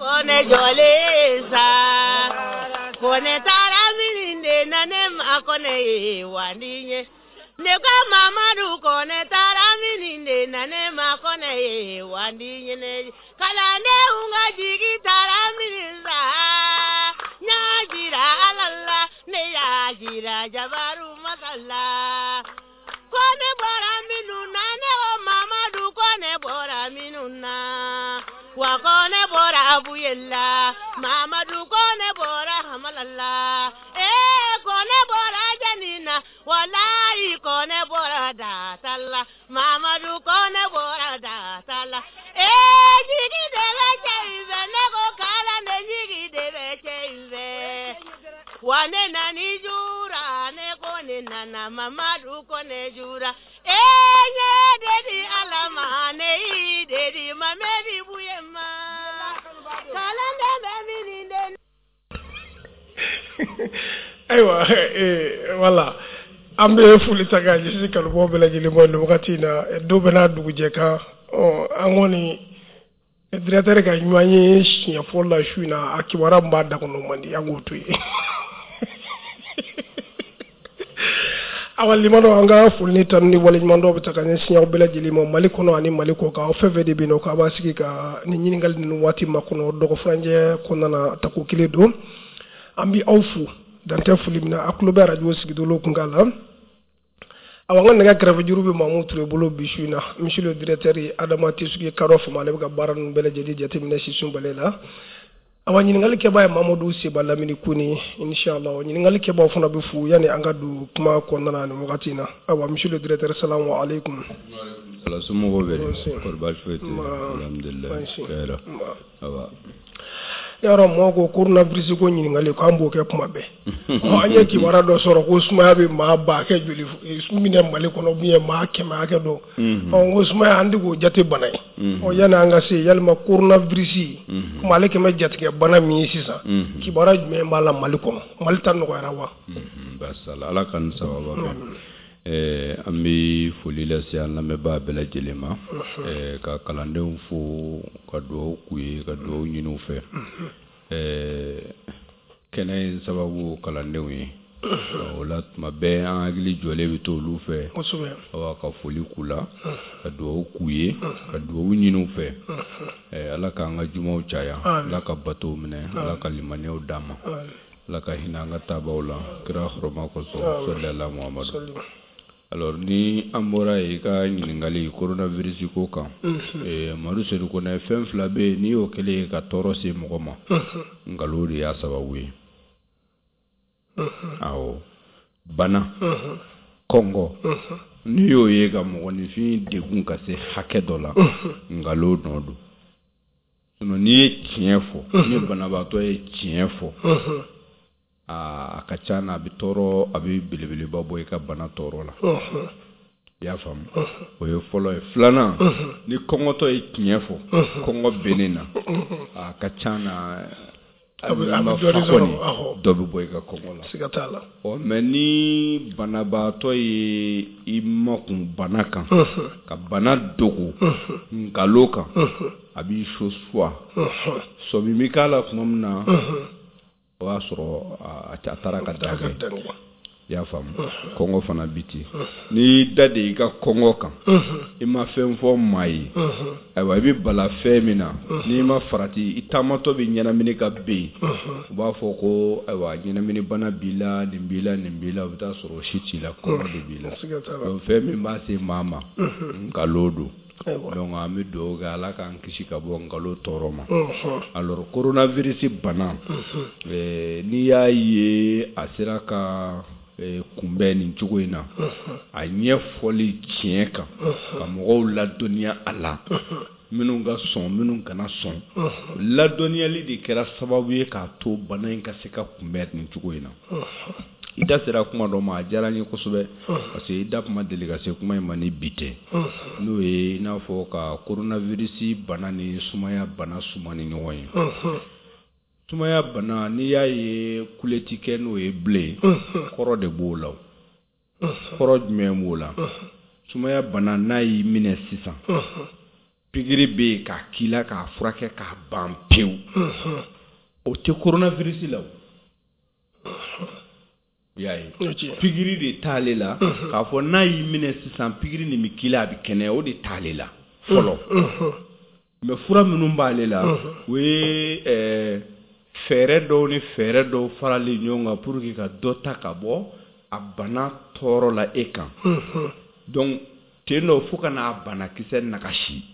Kɔnɛ jɔlen sa Kɔnɛ taara min de na ne ma Kɔnɛ ye wa ye ne ko Mamadu Kɔnɛ taara min de na ne ma Kɔnɛ ye wa ye kalandenw ka jigi taara min sa ɲa jira Ala la ne y'a jira Jabaru masa la Kɔnɛ bɔra minnu na ne ko Mamadu Kɔnɛ bɔra minnu na wa Kɔnɛ bɔra Buyela Mamadu Kɔnɛ bɔra Hamalala ee Kɔnɛ bɔra Janina walayi Kɔnɛ bɔra Datala Mamadu Kɔnɛ bɔra Datala ee jigi de bɛ cɛ in fɛ ne ko kalanden jigi de bɛ cɛ in fɛ wa ne nana jura ne ko ne nana Mamadu Kɔnɛ jura ee ɲɛ de di Ala ma ne y'i de di Mamɛdi Buye ma kalanden bɛ min de Ayiwa, wala an bɛ foli ta k'a ɲɛsin kanubaw bɛɛ lajɛlen ma nin wagati in na. Don bɛɛ n'a dugujɛ kan. Ɔ, an kɔni directeur ka ɲɔgɔn ye siɲɛ fɔlɔ la su in na, a kibaruya min b'a da kɔnɔ man di, an k'o to yen. Awa limanaw, an ka foli ni tanu ni waleɲumandɔn bɛ ta ka ɲɛsin aw bɛɛ lajɛlen ma Mali kɔnɔ ani Mali kɔ kan. Aw fɛn fɛn de bɛ yen nɔ k'a b'a sigi ka ni ɲininkali ninnu waati makɔnɔ dɔgɔfurancɛ kɔnɔna na, tako kelen don. An bɛ aw fo dantɛ foli min na, a tulo bɛ arajo sigidolo kunkan la. Awa, an ka nɛgɛ kɛrɛfɛ juru bɛ Mamu Ture bolo bi su in na. Monsieur le directeur Adama Tesuge Kadɔ Fama, ale bɛ ka baara ninnu bɛɛ lajɛlen jateminɛ sisun bale la. Awa, ɲininkali kɛbaa ye Mamadu Seba Lamini Kone. Inshallah ɲininkali kɛbaaw fana bɛ fo yanni an ka don kuma kɔnɔna na nin wagati in na. Awa, monsieur le directeur, salamu aleykum. Ala somɔgɔw bɛ di? Kɔri baasi foyi tɛ yen? Alhamdulilayi, hɛrɛ. Awa, yɔrɔ mɔgɔw ko coronavirus ko ɲininkali k'an b'o kɛ kuma bɛɛ. Ɔ, an ye kibaruya dɔ sɔrɔ ko sumaya bɛ maa ba hakɛ joli minɛ Mali kɔnɔ, ou bien maa 100 hakɛ dɔ. Ɔ, n ko sumaya an tɛ k'o jate bana ye. Ɔ, yanni an ka se yalima coronavirus komi ale kɛmɛ jatigɛ bana min ye sisan, kibaruya jumɛn b'a la Mali kɔnɔ? Mali ta nɔgɔyara wa? Baasi t'a la, Ala ka ni sababa bɛn. An bɛ foli lase an lamɛnbaa bɛɛ lajɛlen ma, ka kalandenw fo, ka dugawu k'u ye, ka dugawu ɲini u fɛ. Kɛnɛ in sababu kalandenw ye, o la tuma bɛɛ an hakili jɔlen bɛ to olu fɛ. Awa, ka foli k'u la, ka dugawu k'u ye, ka dugawu ɲini u fɛ. Ala k'an ka jumaw caya, Ala ka batow minɛ, Ala ka limaniyaw d'an ma, Ala ka hinɛ an ka taabaw la kira hɔrɔma kosɔn, sɔli Muhamadu. Alors, ni an bɔra yen, i ka ɲininkali coronavirus ko kan, Madu Sedu Kɔnɛ, fɛn fila bɛ yen, n'i y'o kɛlen ye ka tɔɔrɔ se mɔgɔ ma, nkalon de y'a sababu ye. Awɔ, bana, kɔngɔ, n'i y'o ye ka mɔgɔninfin degun ka se hakɛ dɔ la, nkalon nɔ don. Sinon n'i ye tiɲɛ fɔ, ni banabaatɔ ye tiɲɛ fɔ, a ka ca na a bɛ tɔɔrɔ, a bɛ belebeleba bɔ i ka bana tɔɔrɔ la. I y'a faamu? O ye fɔlɔ ye. Filanan, ni kɔngɔtɔ ye tiɲɛ fɔ, kɔngɔ bɛ ne na, a ka ca na a bɛ dɔ sɔrɔ, dɔ bɛ bɔ i ka kɔngɔ la. Siga t'a la. Ɔ, mais ni banabaatɔ ye i makun bana kan, ka bana dogo nkalon kan, a b'i suwa. Sɔmi bɛ k'a la tuma min na, o y'a sɔrɔ a taara ka dan kɛ. I y'a faamu? Kɔngɔ fana bi ten. N'i y'i da de i ka kɔngɔ kan, i ma fɛn fɔ maa ye, ayiwa, i bɛ bala fɛn min na, n'i ma farati, i taamatɔ bɛ ɲɛnamini ka ben, u b'a fɔ ko ayiwa, ɲɛnamini bana b'i la, nin b'i la, nin b'i la, o bɛ taa sɔrɔ o si t'i la, kɔngɔ de b'i la. Donc fɛn min b'a se maa ma, nkalon don. Donc an bɛ dugawu kɛ Ala k'an kisi ka bɔ nkalon tɔɔrɔ ma. Alors, coronavirus bana, n'i y'a ye a sera ka kunbɛn nin cogo in na, a ɲɛfɔli tiɲɛ kan, ka mɔgɔw ladɔnniya a la, minnu ka sɔn, minnu kana sɔn, ladɔnniyali de kɛra sababu ye k'a to bana in ka se ka kunbɛn nin cogo in na. I da sera kuma dɔ ma, a diyara n ye kosɛbɛ, parce que i da kuma deli ka se kuma in ma ni bi tɛ, n'o ye i n'a fɔ ka coronavirus bana ni sumaya bana suma ni ɲɔgɔn ye. Sumaya bana, n'i y'a ye kule ti kɛ n'o ye bilen, kɔrɔ de b'o la. Kɔrɔ jumɛn b'o la? Sumaya bana, n'a y'i minɛ sisan, Pikiri bɛ yen k'a k'i la k'a furakɛ k'a ban pewu. O tɛ coronavirus la o. I y'a ye. Pikiri de t'ale la k'a fɔ n'a y'i minɛ sisan pikiri nin bɛ k'i la a bɛ kɛnɛya, o de t'ale la fɔlɔ. Mais fura minnu b'ale la, o ye fɛɛrɛ dɔw ni fɛɛrɛ dɔw faralen ɲɔgɔn kan pour que ka dɔ ta ka bɔ a bana tɔɔrɔ la e kan. Donc ten dɔ fo ka n'a banakisɛ nagasi.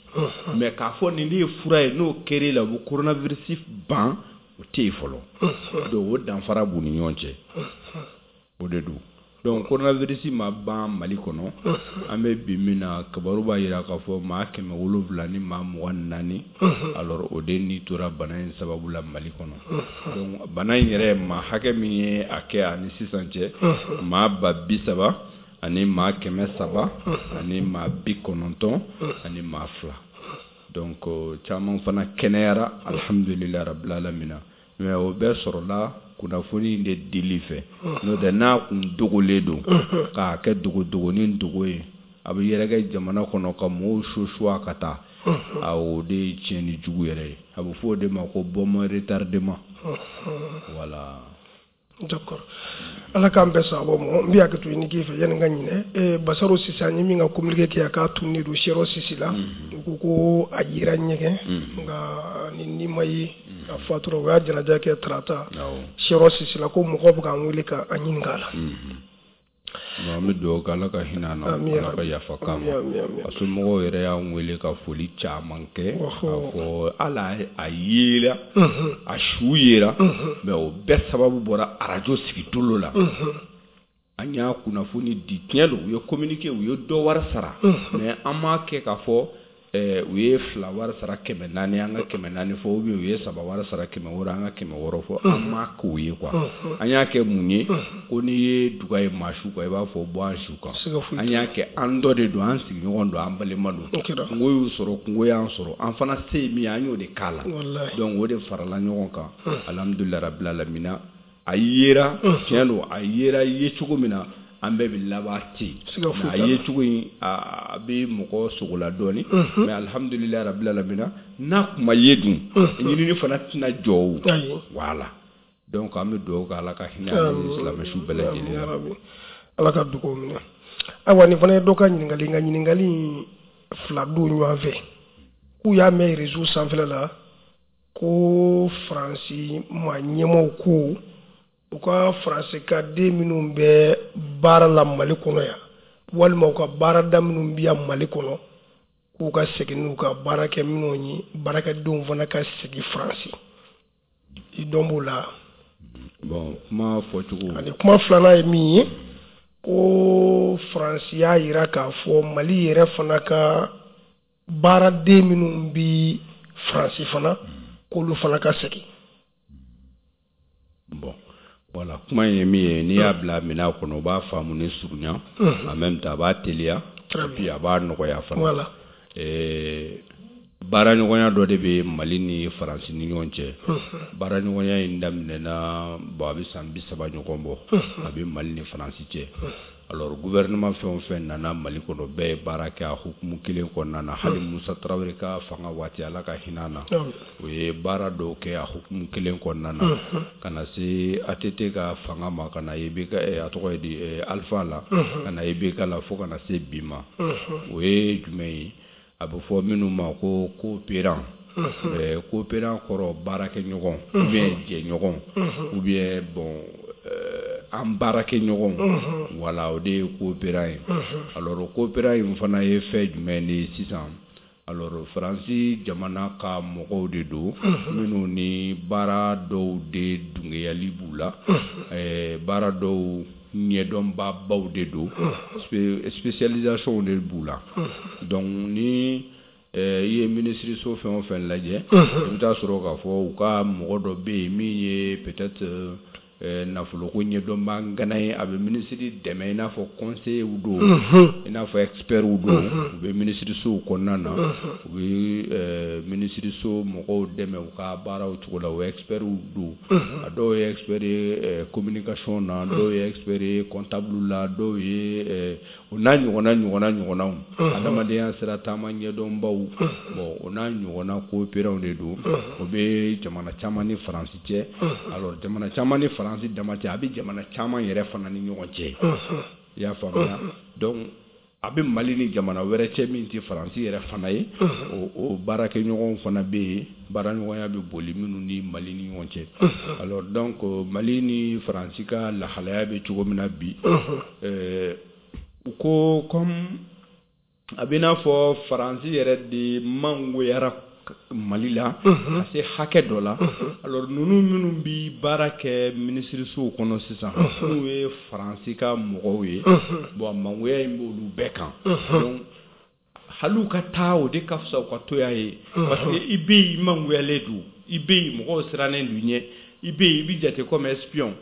Mais k'a fɔ nin de ye fura ye, n'o kɛr'e la, o bɛ coronavirus ban, o tɛ yen fɔlɔ. Donc o danfara b'u ni ɲɔgɔn cɛ, o de don. Donc coronavirus ma ban Mali kɔnɔ. An bɛ bi min na, kibaru b'a jira k'a fɔ maa 724, alors o de ni tora bana in sababu la Mali kɔnɔ. Donc bana in yɛrɛ, maa hakɛ min ye a kɛ ani sisan cɛ, maa 30 000 392. Donc caman fana kɛnɛyara, alhamdulilayi rabbil alamina. Mais o bɛɛ sɔrɔla kunnafoni in de dili fɛ. N'o tɛ, n'a kun dogolen don k'a kɛ dogodogonin dogo ye, a bɛ yɛrɛkɛ jamana kɔnɔ ka mɔgɔw susuwa ka taa, a o de ye tiɲɛni jugu yɛrɛ ye. A bɛ fɔ o de ma ko bombe retardement. Voilà. D'accord, Ala k'an bɛɛ sababu ma. N bɛ hakɛ to ɲini k'i fɛ yanni n ka ɲinɛ. Basaro Sise, an ye min ka communiqué kɛ, a k'a tununnen don Siyɔrɔ Sisi la. U ko ko a yera ɲɛgɛn, nka ni ma ye, a fatura. U y'a janaja kɛ tarata Siyɔrɔ Sisi la. Ko mɔgɔw bɛ k'an wele k'an ɲininka a la. An bɛ dugawu kɛ, Ala ka hinɛ a na, Ala ka yafa k'a ma. A somɔgɔw yɛrɛ y'an wele ka foli caman kɛ, k'a fɔ hali a yera, a su yera, mais o bɛɛ sababu bɔra arajo sigitolo la. An y'a kunnafoni di, tiɲɛ don, u ye communiqué, u ye dɔ wari sara, mais an m'a kɛ k'a fɔ u ye fila wari sara 400, an ka 400 fɔ, ou bien u ye saba wari sara 600, an ka 600 fɔ. An m'a k'o ye quoi. An y'a kɛ mun ye? Ko n'i ye duga ye maa su kan, i b'a fɔ bɔ an su kan. An y'a kɛ an dɔ de don, an sigiɲɔgɔn don, an balima don. Kungo y'u sɔrɔ, kungo y'an sɔrɔ, an fana se ye min ye, an y'o de k'a la. Donc o de farala ɲɔgɔn kan, alhamdulilayi rabbil alamina. A yera, tiɲɛ don, a yera ye cogo min na, an bɛɛ bɛ laban ten. A ye cogo in, a bɛ mɔgɔ sogola dɔɔnin, mais alhamdulilayi rabbil alamina, n'a kun ma ye dun, ɲinini fana tɛna jɔ o. Voilà, donc an bɛ dugawu kɛ, Ala ka hinɛ ani silamɛ su bɛɛ lajɛlen na. Ala ka dugawu minɛ. Ayiwa, nin fana ye dɔ ka ɲininkali, nka ɲininkali fila don ɲɔgɔn fɛ. K'u y'a mɛn réseau sanfɛla la ko Faransi maa ɲɛmaaw ko u ka Faransi ka den minnu bɛ baara la Mali kɔnɔ yan, walima u ka baarada minnu bɛ yan Mali kɔnɔ, k'u ka segin n'u ka baarakɛ minɛnw ye, baarakɛdenw fana ka segin Faransi. I dɔn b'o la? Bon, kuma fɔcogo. Ani kuma filanan ye min ye, ko Faransi y'a jira k'a fɔ Mali yɛrɛ fana ka baaraden minnu bɛ Faransi fana, k'olu fana ka segin. Bon, voilà, kuma in ye min ye, n'i y'a bila minɛn kɔnɔ, u b'a faamu ni surunya, en même temps a b'a teliya, et puis a b'a nɔgɔya fana. Baaraɲɔgɔnya dɔ de bɛ Mali ni Faransi ni ɲɔgɔn cɛ. Baaraɲɔgɔnya in daminɛna, bon, a bɛ san 30 ɲɔgɔn bɔ, a bɛ Mali ni Faransi cɛ. Alors gouvernement fɛn o fɛn nana Mali kɔnɔ, bɛɛ ye baara kɛ a hukumu kelen kɔnɔna na. Hali Musa Tarawele ka fanga waati, Ala ka hinɛ na, o ye baara dɔw kɛ a hukumu kelen kɔnɔna na, ka na se ATT ka fanga ma, ka na IBK, a tɔgɔ ye di, Alpha la, ka na IBK la, fo ka na se bi ma. O ye jumɛn ye? A bɛ fɔ minnu ma ko coopérant. Coopérant kɔrɔ baarakɛɲɔgɔn, ou bien jɛɲɔgɔn, ou bien bon, an baarakɛɲɔgɔn. Voilà, o de ye coopérant ye. Alors coopérant in fana ye fɛn jumɛn de ye sisan? Alors Faransi jamana ka mɔgɔw de don minnu ni baara dɔw de dungɛyali b'u la, baara dɔw ɲɛdɔnbabaw de don, spécialisation de b'u la. Donc ni i ye minisiriso fɛn o fɛn lajɛ, i bɛ taa sɔrɔ k'a fɔ u ka mɔgɔ dɔ bɛ yen min ye peut-être Nafoloko ɲɛdɔnbaa ŋana ye, a bɛ minisiri dɛmɛ i n'a fɔ conseillers don, i n'a fɔ experts don. U bɛ minisirisow kɔnɔna na, u bɛ minisiriso mɔgɔw dɛmɛ u ka baaraw cogo la. O experts don. A dɔw ye expert ye communication na, dɔw ye expert ye comptable la, dɔw ye o n'a ɲɔgɔnna ɲɔgɔnna ɲɔgɔnnaw, adamadenya sira taama ɲɛdɔnbaw. Bon, o n'a ɲɔgɔnna coopérants de don. O bɛ jamana caman ni Faransi cɛ. Alors, jamana caman ni Faransi dama cɛ, a bɛ jamana caman yɛrɛ fana ni ɲɔgɔn cɛ, i y'a faamuya. Donc a bɛ Mali ni jamana wɛrɛ cɛ min tɛ Faransi yɛrɛ fana ye, o baarakɛɲɔgɔnw fana bɛ yen, baaraɲɔgɔnya bɛ boli minnu ni Mali ni ɲɔgɔn cɛ. Alors donc, Mali ni Faransi ka lahalaya bɛ cogo min na bi, u ko comme a bɛ n'a fɔ Faransi yɛrɛ de mangoyara Mali la ka se hakɛ dɔ la. Alors, ninnu minnu bi baara kɛ minisirisow kɔnɔ sisan, n'u ye Faransi ka mɔgɔw ye, bon, mangoya in b'olu bɛɛ kan. Donc hali u ka taa, o de ka fisa u ka to yan ye, parce que i bɛ yen, i mangoyalen don, i bɛ yen, mɔgɔw sirannen don i ɲɛ, i bɛ yen, i bɛ jate comme espion.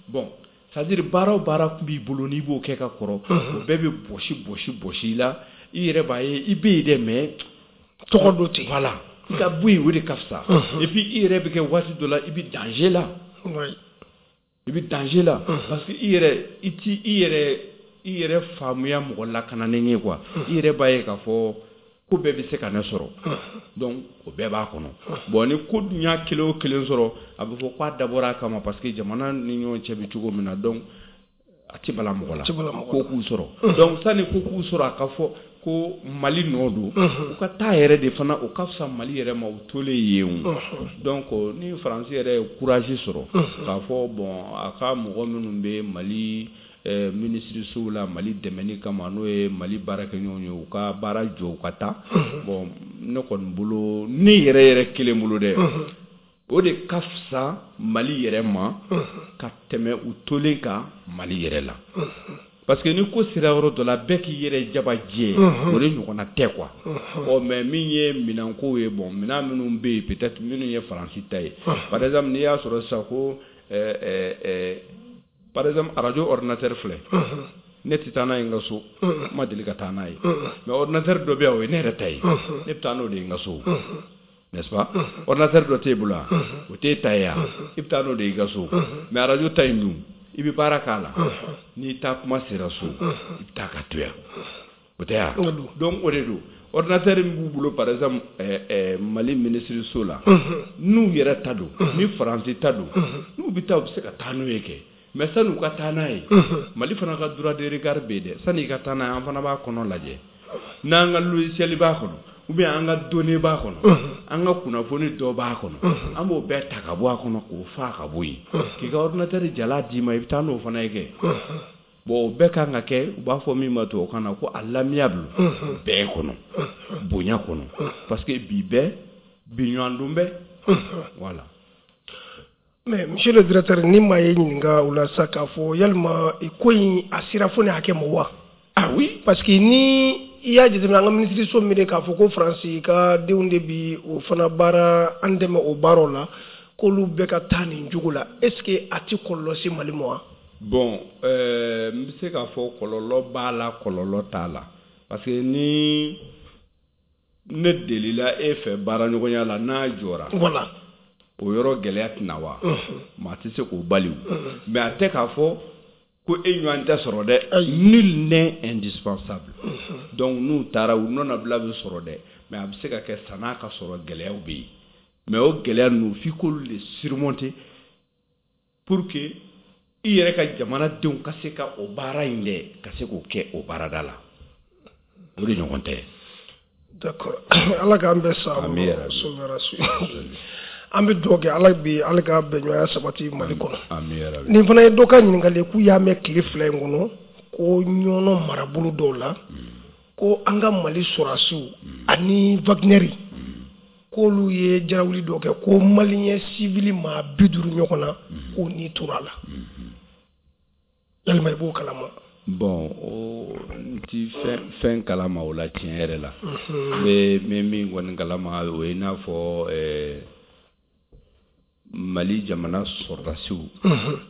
Bon, c'est à dire baara o baara tun b'i bolo n'i b'o kɛ ka kɔrɔ, o bɛɛ bɛ bɔsi bɔsi bɔsi i la. I yɛrɛ b'a ye i bɛ yen dɛ, mais tɔgɔ dɔ ten. Voilà, i ka bɔ yen, o de ka fisa. Et puis i yɛrɛ bɛ kɛ waati dɔ la, i bɛ danger la. I bɛ danger la parce que i yɛrɛ, i ti i yɛrɛ faamuya mɔgɔ lakananen ye quoi. I yɛrɛ b'a ye k'a fɔ ko bɛɛ bɛ se ka ne sɔrɔ. Donc o bɛɛ b'a kɔnɔ. Bon, ni ko dun y'a kelen o kelen sɔrɔ, a bɛ fɔ k'a dabɔra a kama, parce que jamana ni ɲɔgɔn cɛ bɛ cogo min na. Donc a tɛ bala mɔgɔ la ko k'u sɔrɔ. Donc sani ko k'u sɔrɔ, a ka fɔ ko Mali nɔ don, u ka taa yɛrɛ de fana, o ka fisa Mali yɛrɛ ma u tolen yen o. Donc ni Faransi yɛrɛ ye courage sɔrɔ k'a fɔ bon, a ka mɔgɔ minnu bɛ Mali minisirisow la Mali dɛmɛni kama, n'o ye Mali baarakɛɲɔgɔnw ye, u ka baara jɔ, u ka taa. Bon, ne kɔni bolo, ne yɛrɛ yɛrɛ kelen bolo dɛ, o de ka fisa Mali yɛrɛ ma ka tɛmɛ u tolen kan Mali yɛrɛ la, parce que ni ko sera yɔrɔ dɔ la, bɛɛ k'i yɛrɛ jaba jɛ, o de ɲɔgɔnna tɛ quoi. Ɔ mais min ye minɛnko ye, bon, minɛn minnu bɛ yen, peut-être minnu ye Faransi ta ye, par exemple n'i y'a sɔrɔ sisan ko par exemple radio ordinateur filɛ, ne tɛ taa n'a ye n ka so, n ma deli ka taa n'a ye. Mais ordinateur dɔ bɛ yan, o ye ne yɛrɛ ta ye, ne bɛ taa n'o de ye n ka so, n'est-ce pas? Ordinateur dɔ t'e bolo wa? O t'e ta ye wa? I bɛ taa n'o de ye i ka so. Mais radio ta in dun, i bɛ baara k'a la, n'i taa kuma sera so, i bɛ taa ka to yan, o tɛ wa? Donc o de don. Ordinateur min b'u bolo, par exemple Mali minisiriso la, n'u yɛrɛ ta don, ni Faransi ta don, n'u bɛ taa, u bɛ se ka taa n'o ye kɛ. Mais sani u ka taa n'a ye, Mali fana ka droit de regard bɛ yen dɛ. Sani i ka taa n'a ye, an fana b'a kɔnɔ lajɛ, n'an ka logiciel b'a kɔnɔ ou bien an ka données b'a kɔnɔ, an ka kunnafoni dɔ b'a kɔnɔ, an b'o bɛɛ ta ka bɔ a kɔnɔ k'o faa ka bɔ yen, k'i ka ordinateur jala d'i ma, i bɛ taa n'o fana ye kɛ. Bon, o bɛɛ kan ka kɛ, u b'a fɔ min ma tubabukan na ko à l'amiable, bɛɛ kɔnɔ, bonya kɔnɔ, parce que bi bɛɛ bi ɲɔgɔn dun bɛɛ, voilà. Mais monsieur le directeur, ni maa ye ɲininka o la sa k'a fɔ yalima ko in a sera fo ni hakɛ ma wa? Ah oui. Parce que ni i y'a jateminɛ, an ka minisiriso min de k'a fɔ ko Faransi ka denw de bi o fana baara, an dɛmɛ o baaraw la, k'olu bɛɛ ka taa nin cogo la, est ce que a ti kɔlɔlɔ se Mali ma wa? Bon, n bɛ se k'a fɔ kɔlɔlɔ b'a la, kɔlɔlɔ t'a la, parce que ni ne delila e fɛ baaraɲɔgɔnya la, n'a jɔra, o yɔrɔ gɛlɛya tɛna wa? Maa tɛ se k'o bali o. Mais a tɛ k'a fɔ ko e ɲɔgɔn tɛ sɔrɔ dɛ. Nul n'est indispensable. Donc n'u taara, u nɔnabila bɛ sɔrɔ dɛ, mais a bɛ se ka kɛ san'a ka sɔrɔ, gɛlɛyaw bɛ yen. Mais o gɛlɛya ninnu, f'i k'olu de surmonter pour que i yɛrɛ ka jamanadenw ka se ka o baara in dɛ, ka se k'o kɛ o baarada la. O de ɲɔgɔn tɛ. D'accord, Ala k'an bɛɛ sa. Ami yarabi. An bɛ dugawu kɛ Ala bi, Ala ka bɛnɲɔgɔnya sabati Mali kɔnɔ. Ami yarabi. Nin fana ye dɔ ka ɲininkali ye, k'u y'a mɛn tile 2 in kɔnɔ ko Ɲɔnɔ marabolo dɔw la, ko an ka Mali sɔrɔdasiw ani Wagner, k'olu ye jarawuli dɔ kɛ, ko malien civil maa 50 ɲɔgɔn na, k'o ni tora a la. Yalima i b'o kalama? Bon, o n ti fɛn fɛn kalama o la tiɲɛ yɛrɛ la. N bɛ min kɔni kalama, o ye i n'a fɔ Mali jamana sɔrɔdasiw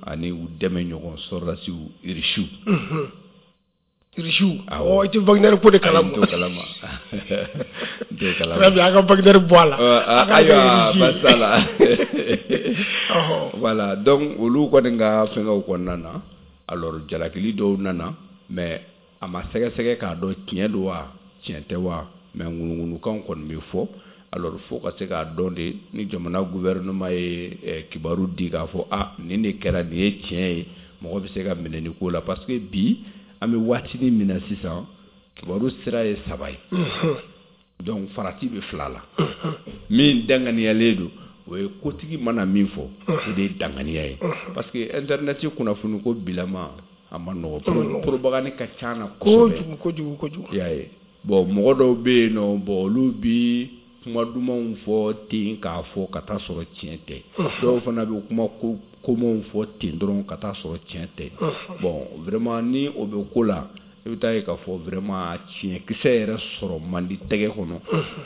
ani u dɛmɛ ɲɔgɔn sɔrɔdasiw irisiw. Irisiw, i tɛ Wagner ko de kalama. N t'o kalama. N t'o kalama. Très bien, an ka Wagner bɔ a la. Ayiwa, baasi t'a la. Voilà, donc olu kɔni ka fɛngɛw kɔnɔna na, alors jalakili dɔw nana, mais a ma sɛgɛsɛgɛ k'a dɔn tiɲɛ don wa tiɲɛ tɛ wa, mais ŋunuŋunukanw kɔni bɛ fɔ. Alors fo ka se k'a dɔn de ni jamana gouvernement ye kibaru di k'a fɔ a nin de kɛra, nin ye tiɲɛ ye, mɔgɔ bɛ se ka minɛ nin ko la, parce que bi an bɛ waatinin min na sisan, kibaru sira ye saba ye. Donc farati bɛ fila la. Min danganiyalen don, o ye kotigi mana min fɔ, o de ye danganiya ye. Parce que internet kunnafoni ko bilama a ma nɔgɔ, propagande ka ca na kosɛbɛ. Kojugu kojugu kojugu. I y'a ye. Bon, mɔgɔ dɔw bɛ yen nɔ, bon olu bi kuma dumanw fɔ ten k'a fɔ ka taa sɔrɔ tiɲɛ tɛ. Dɔw fana bɛ kuma komanw fɔ ten dɔrɔn ka taa sɔrɔ tiɲɛ tɛ. Bon, vraiment ni o bɛ ko la, i bɛ taa ye k'a fɔ vraiment tiɲɛkisɛ yɛrɛ sɔrɔ man di tɛgɛ kɔnɔ.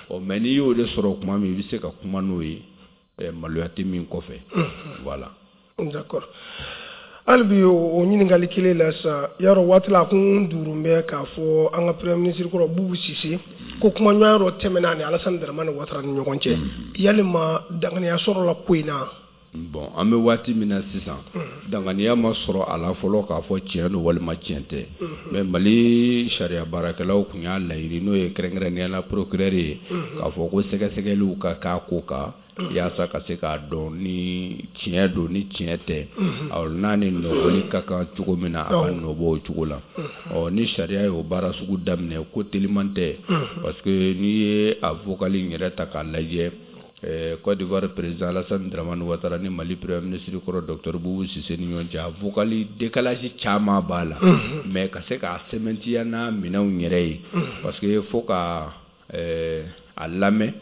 Ɔ mais n'i y'o de sɔrɔ tuma min, i bɛ se ka kuma n'o ye, maloya tɛ min kɔfɛ. Voilà. D'accord. Hali bi o ɲininkali kelen la sisan, yarɔ waati la a kun duuru bɛ k'a fɔ an ka premier ministre kɔrɔ Bubu Sise ko kumaɲɔgɔnya dɔ tɛmɛna ni Alassane Dramane Ouattara ni ɲɔgɔn cɛ, yalima danganiya sɔrɔla ko in na? Bon, an bɛ waati min na sisan, danganiya ma sɔrɔ a la fɔlɔ k'a fɔ tiɲɛ don walima tiɲɛ tɛ. Mais Mali sariya baarakɛlaw tun y'a laɲini, n'o ye kɛrɛnkɛrɛnnenya la procureur ye, k'a fɔ ko sɛgɛsɛgɛliw ka k'a ko kan yaasa ka se k'a dɔn ni tiɲɛ don ni tiɲɛ tɛ, awɔ, n'a ni nɔbɔli ka kan cogo min na, a ka nɔbɔ o cogo la. Ɔ ni sariya y'o baara sugu daminɛ, ko teliman tɛ, parce que n'i ye a vocal in yɛrɛ ta k'a lajɛ, Côte d'Ivoire président Alassane Dramane Ouattara ni Mali premier ministre kɔrɔ docteur Boubou Cissé ni ɲɔgɔn cɛ, a vocal décalage caman b'a la, mais ka se k'a sɛmɛntiya n'a minɛnw yɛrɛ ye, parce que fo ka a lamɛn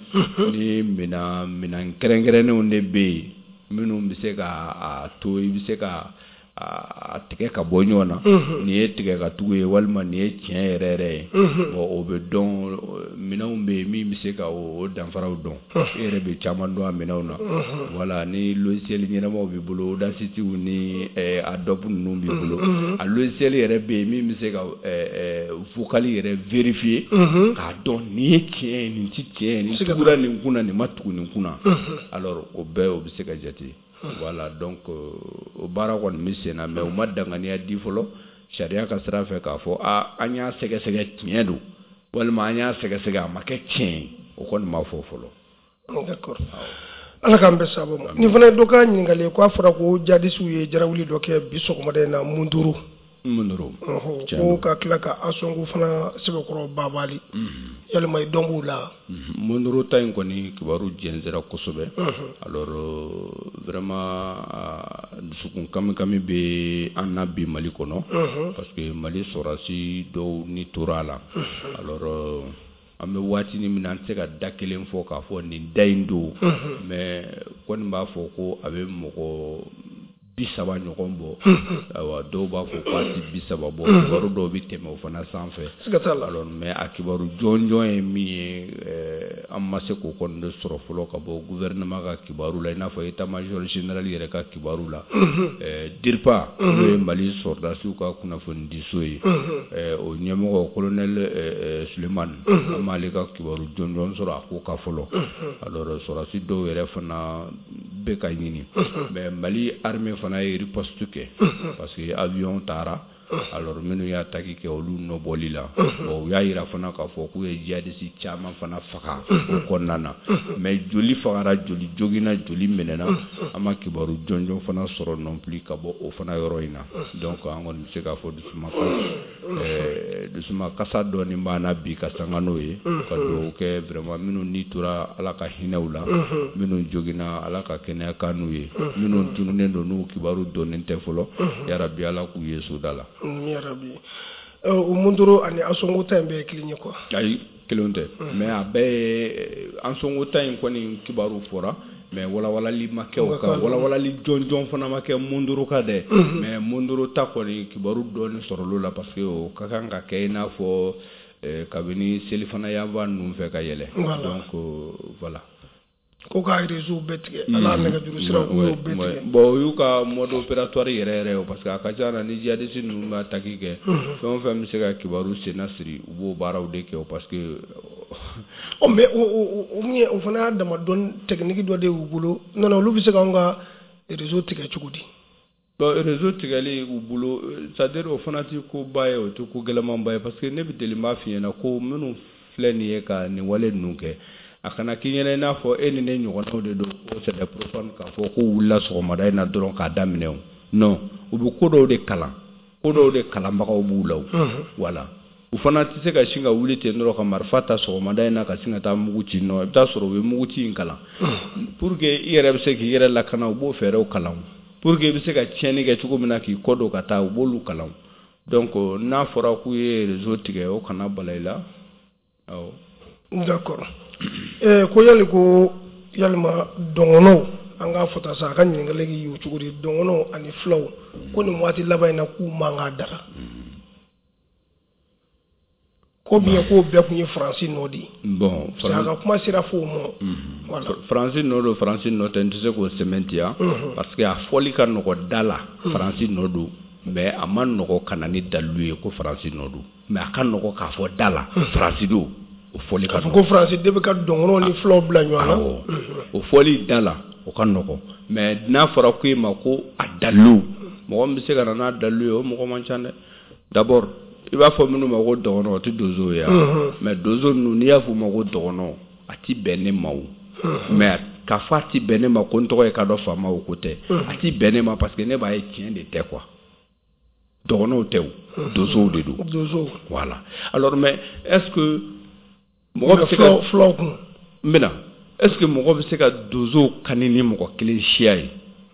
ni minɛn kɛrɛnkɛrɛnnenw de bɛ yen minnu bɛ se ka to i bɛ se ka a tigɛ ka bɔ ɲɔgɔn na, nin ye tigɛ ka tugu ye walima nin ye tiɲɛ yɛrɛ yɛrɛ ye. Bon, o bɛ dɔn, minɛnw bɛ yen min bɛ se ka o danfaraw dɔn, e yɛrɛ bɛ caman dɔn a minɛnw na. Voilà, ni logiciel ɲɛnamaw b'i bolo, Audacity ni Adobe ninnu b'i bolo, a logiciel yɛrɛ bɛ yen min bɛ se ka vocal yɛrɛ vérifier k'a dɔn nin ye tiɲɛ ye, nin tɛ tiɲɛ ye, nin tugura nin kunna, nin ma tugu nin kunna. Alors o bɛɛ o bɛ se ka jate. Voilà, donc o baara kɔni bɛ sen na, mais u ma danganiya di fɔlɔ sariya ka sira fɛ k'a fɔ a an y'a sɛgɛsɛgɛ tiɲɛ don walima an y'a sɛgɛsɛgɛ a ma kɛ tiɲɛ ye, o kɔni ma fɔ fɔlɔ. D'accord. Ala k'an bɛn sababu ma. Nin fana ye dɔ ka ɲininkali ye, k'a fɔra ko jadisiw ye jarawuli dɔ kɛ bi sɔgɔmada in na Munduru. Munduru. Ko ka tila ka Asongu fana sɛbɛkɔrɔ babali. Yalima i dɔn b'u la? Munduru ta in kɔni kibaru jɛnsɛra kosɛbɛ. Alors vraiment dusukun kami-kami bɛ an na bi Mali kɔnɔ, parce que Mali sɔrɔdasi dɔw ni tora a la. Alors an bɛ waati min na, an tɛ se ka da kelen fɔ k'a fɔ nin da in don, mais kɔni b'a fɔ ko a bɛ mɔgɔ 30 ɲɔgɔn bɔ. Ayiwa, dɔw b'a fɔ k'a tɛ 30 bɔ, kibaru dɔw bɛ tɛmɛ o fana sanfɛ. Alors mais a kibaru jɔnjɔn ye min ye, an ma se k'o kɔni de sɔrɔ fɔlɔ ka bɔ gouvernement ka kibaru la, i n'a fɔ état major général yɛrɛ ka kibaru la. DIRPA, n'o ye Mali sɔrɔdasiw ka kunnafonidiso ye, o ɲɛmɔgɔ colonel Sulemani, an m'ale ka kibaru jɔnjɔn sɔrɔ a ko kan fɔlɔ. Alors sɔrɔdasi dɔw yɛrɛ fana bɛ ka ɲini, mais Mali armée fana ye riposte kɛ, parce que avion taara. Alors minnu y'a attaque kɛ, olu nɔbɔli la. Bon, u y'a yira fana k'a fɔ k'u ye djihadiste caman fana faga o kɔnɔna na, mais joli fagara, joli joginna, joli minɛna, an ma kibaru jɔnjɔn fana sɔrɔ non plus ka bɔ o fana yɔrɔ in na. Donc an kɔni bɛ se k'a fɔ dusuma kasa dɔɔni b'an na bi ka sanga n'o ye, ka dugawu kɛ vraiment minnu ni tora, Ala ka hinɛ u la, minnu joginna, Ala ka kɛnɛya kan n'u ye, minnu tununnen don n'u kibaru dɔnnen tɛ fɔlɔ, yarabi Ala k'u ye soda la. Yarabi. O Munduru ani Asongo ta in bɛɛ ye kelen ye quoi? Ayi, kelenw tɛ, mais a bɛɛ ye Asongo ta in kɔni kibaru fɔra, mais walawalali ma kɛ o kan, walawalali jɔnjɔn fana ma kɛ Munduru kan dɛ. Mais Munduru ta kɔni kibaru dɔɔni sɔrɔla o la, parce que o ka kan ka kɛ i n'a fɔ kabini selifana yanfan ninnu fɛ ka yɛlɛ. Donc voilà. Ko ka réseau bɛɛ tigɛ, ala nɛgɛjuru siraw k'u y'o bɛɛ tigɛ. Bon, o y'u ka mode opératoire yɛrɛ yɛrɛ ye, parce que a ka ca na, ni djihadiste ninnu bɛ attaque kɛ, fɛn o fɛn bɛ se ka kibaru senna siri, u b'o baaraw de kɛ, parce que Ɔ, mais o min ye, o fana y'a dama dɔn technique dɔ de y'u bolo. Non, olu bɛ se k'anw ka réseau tigɛ cogo di? Bon, réseau tigɛli u bolo, c'est à dire o fana tɛ koba ye, o tɛ ko gɛlɛnmanba ye, parce que ne bɛ deli b'a f'i ɲɛna ko minnu filɛ nin ye ka nin wale ninnu kɛ, a kana k'i ɲɛna i n'a fɔ e ni ne ɲɔgɔnnaw de don, ko c'est des profanes, k'a fɔ ko wulila sɔgɔmada in na dɔrɔn k'a daminɛ. O non, u bɛ ko dɔw de kalan, ko dɔw de kalanbagaw b'u la. O voilà, u fana tɛ se ka sin ka wuli ten dɔrɔn ka marifa ta sɔgɔmada in na ka sin ka taa mugu ci. Nɔ, i bɛ taa sɔrɔ u bɛ mugu ci in kalan pour que i yɛrɛ bɛ se k'i yɛrɛ lakana, u b'o fɛɛrɛw kalan pour que i bɛ se ka tiɲɛni kɛ cogo min na k'i kɔ don ka taa, u b'olu kalan. Donc n'a fɔra k'u ye réseau tigɛ, o kana bala i la, awɔ. D'accord. Ko yali, ko yalima dɔngɔnɔw, an k'a fɔ tan sa, a ka ɲininkali y'o cogo di, dɔngɔnɔw ani fulaw, ko nin waati laban in na k'u man k'a daga, ko bien k'o bɛɛ tun ye Faransi nɔ de ye? Bon. Parce que a ka kuma sera fo o ma, voilà. Faransi nɔ don, Faransi nɔ tɛ, n tɛ se k'o sɛmɛntiya, parce que a fɔli ka nɔgɔ da la, Faransi nɔ don, mais a ma nɔgɔ ka na ni dalilu ye ko Faransi nɔ don. Mais a ka nɔgɔ k'a fɔ da la Faransi don, o fɔli ka k'a fɔ ko Faransi de bɛ ka dɔngɔnɔw ni fulaw bila ɲɔgɔn na. Awɔ, o fɔli da la, o ka nɔgɔ, mais n'a fɔra ko e ma ko a dalilu, mɔgɔ min bɛ se ka na n'a dalilu ye, o mɔgɔ man ca dɛ. D'abord, i b'a fɔ minnu ma ko dɔgɔnɔ, o tɛ donso ye wa? Mais donso ninnu, n'i y'a fɔ u ma ko dɔgɔnɔ, a ti bɛn ne ma o. Mais k'a fɔ a ti bɛn ne ma ko n tɔgɔ ye kadɔ faama, o ko tɛ. A ti bɛn ne ma parce que ne b'a ye tiɲɛ de tɛ quoi. Dɔgɔnɔw tɛ o, donsow de don. Donsow. Voilà. Alors, mais est-ce que mɔgɔ bɛ se ka fulaw kun? N bɛna, est-ce que mɔgɔ bɛ se ka donsow kani ni mɔgɔ kelen siya ye?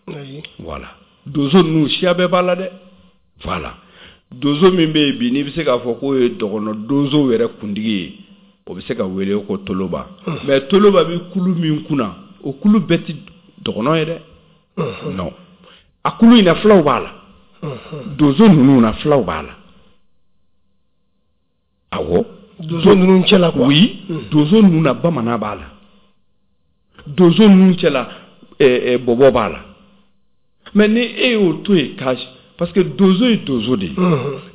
Ayi. Voilà, donso ninnu siya bɛɛ b'a la dɛ. Voilà, donso min bɛ yen bi, n'i bɛ se k'a fɔ k'o ye dɔgɔnɔ donsow yɛrɛ kuntigi ye, o bɛ se ka wele ko Toloba. Mais Toloba bɛ kulu min kunna, o kulu bɛɛ tɛ dɔgɔnɔ ye dɛ. Non, a kulu in na, fulaw b'a la. Donso ninnu na, fulaw b'a la, awɔ. Donso ninnu cɛla quoi. Oui, donso ninnu na, bamanan b'a la. Donso ninnu cɛla, bɔbɔ b'a la. Mais ni e y'o to yen ka, parce que donso ye donso de ye,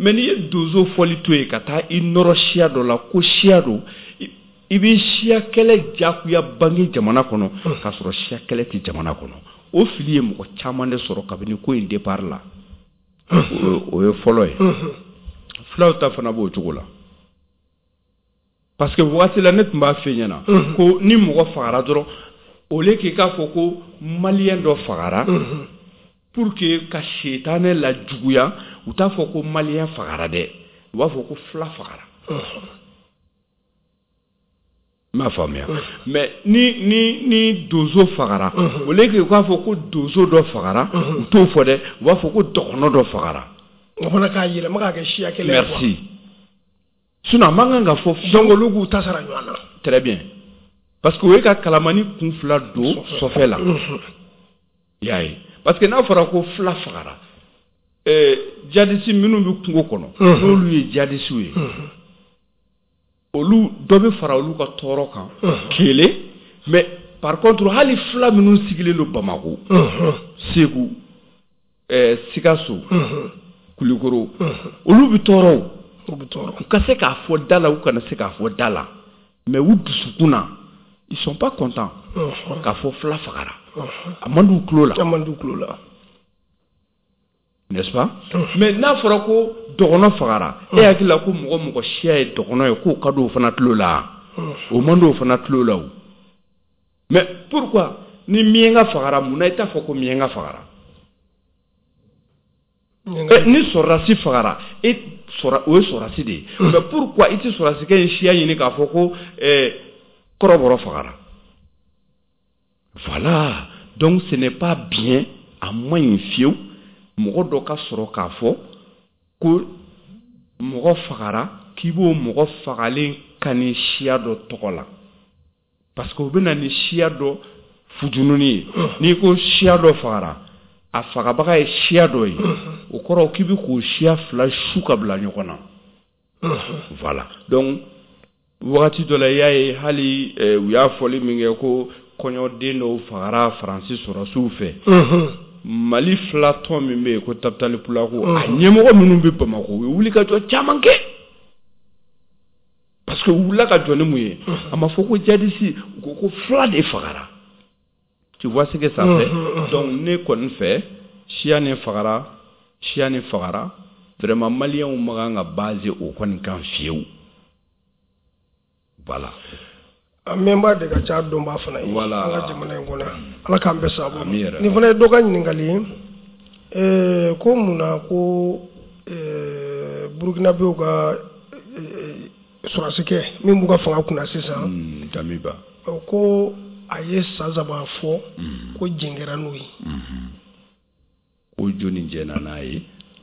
mais n'i ye donso fɔli to yen ka taa i nɔrɔ siya dɔ la ko siya don, i bɛ siya kɛlɛ jagoya bange jamana kɔnɔ, k'a sɔrɔ siya kɛlɛ tɛ jamana kɔnɔ. O fili ye mɔgɔ caman de sɔrɔ kabini ko in départ la. O ye fɔlɔ ye. Fulaw ta fana b'o cogo la, parce que waati la ne tun b'a f'i ɲɛna ko ni mɔgɔ fagara dɔrɔn, au lieu k'i k'a fɔ ko malien dɔ fagara, pour que ka setanɛ la juguya, u t'a fɔ ko malien fagara dɛ, u b'a fɔ ko fula fagara. N m'a faamuya. Mais ni donso fagara, au lieu que u k'a fɔ ko donso dɔ fagara, u t'o fɔ dɛ, u b'a fɔ ko dɔgɔnɔ dɔ fagara. O fana k'a yɛlɛma k'a kɛ siya kelen ye quoi. Merci. Sinon a man kan ka fɔ. Donc olu k'u ta sara ɲɔgɔn na. Très bien, parce que o ye ka kalamani kun fila don sɔfɛ la, i y'a ye. Parce que n'a fɔra ko fila fagara, djihadiste minnu bɛ kungo kɔnɔ, n'olu ye djihadistew ye, olu dɔ bɛ fara olu ka tɔɔrɔ kan kelen. Mais par contre, hali fila minnu sigilen don Bamakɔ, Segu, Sikaso, Kulikoro, olu bɛ tɔɔrɔ o. U bɛ tɔɔrɔ. U ka se k'a fɔ da la, u kana se k'a fɔ da la, mais u dusukun na, ils sont pas contents k'a fɔ fila fagara. A man d'u tulo la. A man d'u tulo la. N'est-ce pas? Mais n'a fɔra ko dɔgɔnɔ fagara, e hakili la ko mɔgɔ siya ye dɔgɔnɔ ye, k'o ka d'o fana tulo la? O man d'o fana tulo la o. Mais pourquoi ni miɲɛnka fagara, mun na i t'a fɔ ko miɲɛnka fagara? Ni sɔrɔdasi fagara, e o ye sɔrɔdasi de ye, mais pourquoi i tɛ sɔrɔdasikɛ in siya ɲini k'a fɔ ko kɔrɔbɔrɔ fagara? Voilà. Donc ce n'est pas bien, a man ɲi fiyewu mɔgɔ dɔ ka sɔrɔ k'a fɔ ko mɔgɔ fagara, k'i b'o mɔgɔ fagalen kani siya dɔ tɔgɔ la, parce que o bɛ na ni siya dɔ fujununi ye. N'i ko siya dɔ fagara, a fagabaga ye siya dɔ ye, o kɔrɔ k'i bɛ k'o siya fila su ka bila ɲɔgɔn na. Voilà. Donc wagati dɔ la, i y'a ye, hali u y'a fɔli min kɛ ko kɔɲɔden dɔw fagara Faransi sɔrɔdasiw fɛ. Mali fila tɔn min bɛ yen ko Tapitali Pulaku, a ɲɛmɔgɔ minnu bɛ Bamakɔ, u ye wulikajɔ caman kɛ. Parce que u wulila ka jɔ ni mun ye? A ma fɔ ko djihadiste, u ko ko fila de fagara. Tu vois ce que ça fait? Donc ne kɔni fɛ, siya nin fagara, siya nin fagara, vraiment maliyɛnw ma kan ka baser o kɔni kan fiyewu. Voilà. A mɛnba de ka ca dɔnbaa fana ye. Voilà. An ka jamana in kɔnɔ, Ala k'an bɛɛ sababu ma. Ami yɛrɛ. Nin fana ye dɔ ka ɲininkali ye, ko mun na ko Burukinabew ka sɔrɔdasikɛ min b'u ka fanga kunna sisan, Damiba, ko a ye san 3 fɔ ko jɛn kɛra n'o ye. Ko jɔnni jɛnna n'a ye?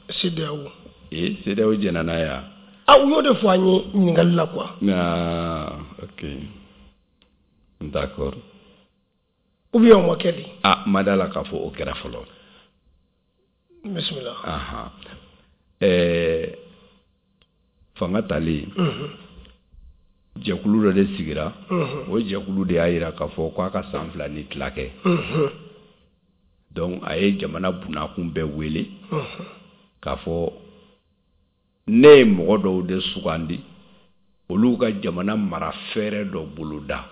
CEDEAO. Ee, CEDEAO jɛnna n'a ye wa? Ah, u y'o de fɔ an ye ɲininkali la quoi. Ah, ok, d'accord. Ou bien o ma kɛ de? Ah, ma da la k'a fɔ o kɛra fɔlɔ. Bisimila. Ahan. Fanga talen, jɛkulu dɔ de sigira. O jɛkulu de y'a jira k'a fɔ k'a ka san 2 ni tila kɛ. Donc a ye jamana bunakun bɛɛ wele k'a fɔ ne ye mɔgɔ dɔw de sugandi, olu ka jamana mara fɛɛrɛ dɔ boloda.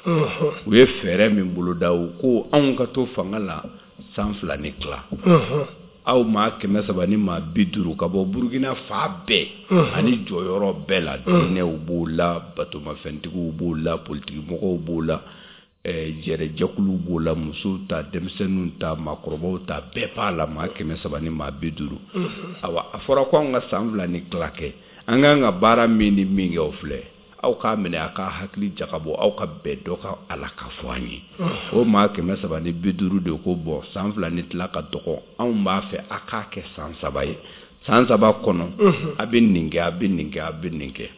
U ye fɛɛrɛ min boloda, u ko anw ka to fanga la san 2 ni tila. Aw maa 350 ka bɔ Burukina fan bɛɛ ani jɔyɔrɔ bɛɛ la, diinɛw b'o la, batomafɛntigiw b'o la, politikimɔgɔw b'o la, jɛrɛjɛkuluw b'o la, musow ta, denmisɛnninw ta, maakɔrɔbaw ta, bɛɛ b'a la, maa 350. Awa, a fɔra ko anw ka san 2 ni tila kɛ, an k'an ka baara min ni min kɛ, o filɛ. Aw k'a minɛ, a k'a hakili jagabɔ, aw ka bɛn dɔ ka a la ka fɔ an ye. O maa 350 de ko bɔn, san 2 ni tila ka dɔgɔ, anw b'a fɛ a k'a kɛ san 3 ye. San 3 kɔnɔ, a bɛ nin kɛ, a bɛ nin kɛ, a bɛ nin kɛ.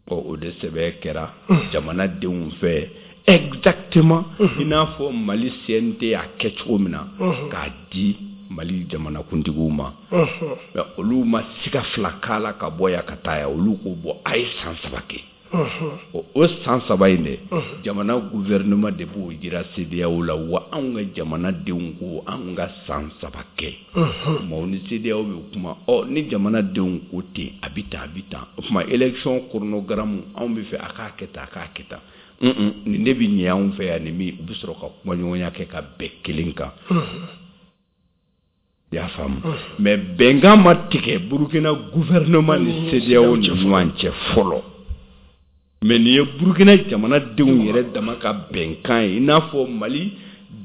Ɔ, o de sɛbɛn kɛra jamanadenw fɛ exactement i n'a fɔ Mali CNT y'a kɛ cogo min na k'a di Mali jamanakuntigiw ma. Mais olu ma siga fila k'a la ka bɔ yan ka taa yan, olu ko bɔn, a ye san 3 kɛ. O san 3 in dɛ, jamana gouvernement de b'o jira CEDEAO la, wa anw ka jamanadenw ko anw ka san 3 kɛ. Maaw ni CEDEAO bɛ kuma, ɔ ni jamanadenw ko ten, a bɛ tan, a bɛ tan. O tuma élection chronogramme anw bɛ fɛ a k'a kɛ tan, a k'a kɛ tan. Nin de bɛ ɲɛ anw fɛ yan, nin min u bɛ sɔrɔ ka kumaɲɔgɔnya kɛ ka bɛn kelen kan. I y'a faamu? Mais bɛnkan ma tigɛ Burukina gouvernement ni CEDEAO ni ɲɔgɔn cɛ fɔlɔ. Mais nin ye Burukina jamanadenw yɛrɛ dama ka bɛnkan ye, i n'a fɔ Mali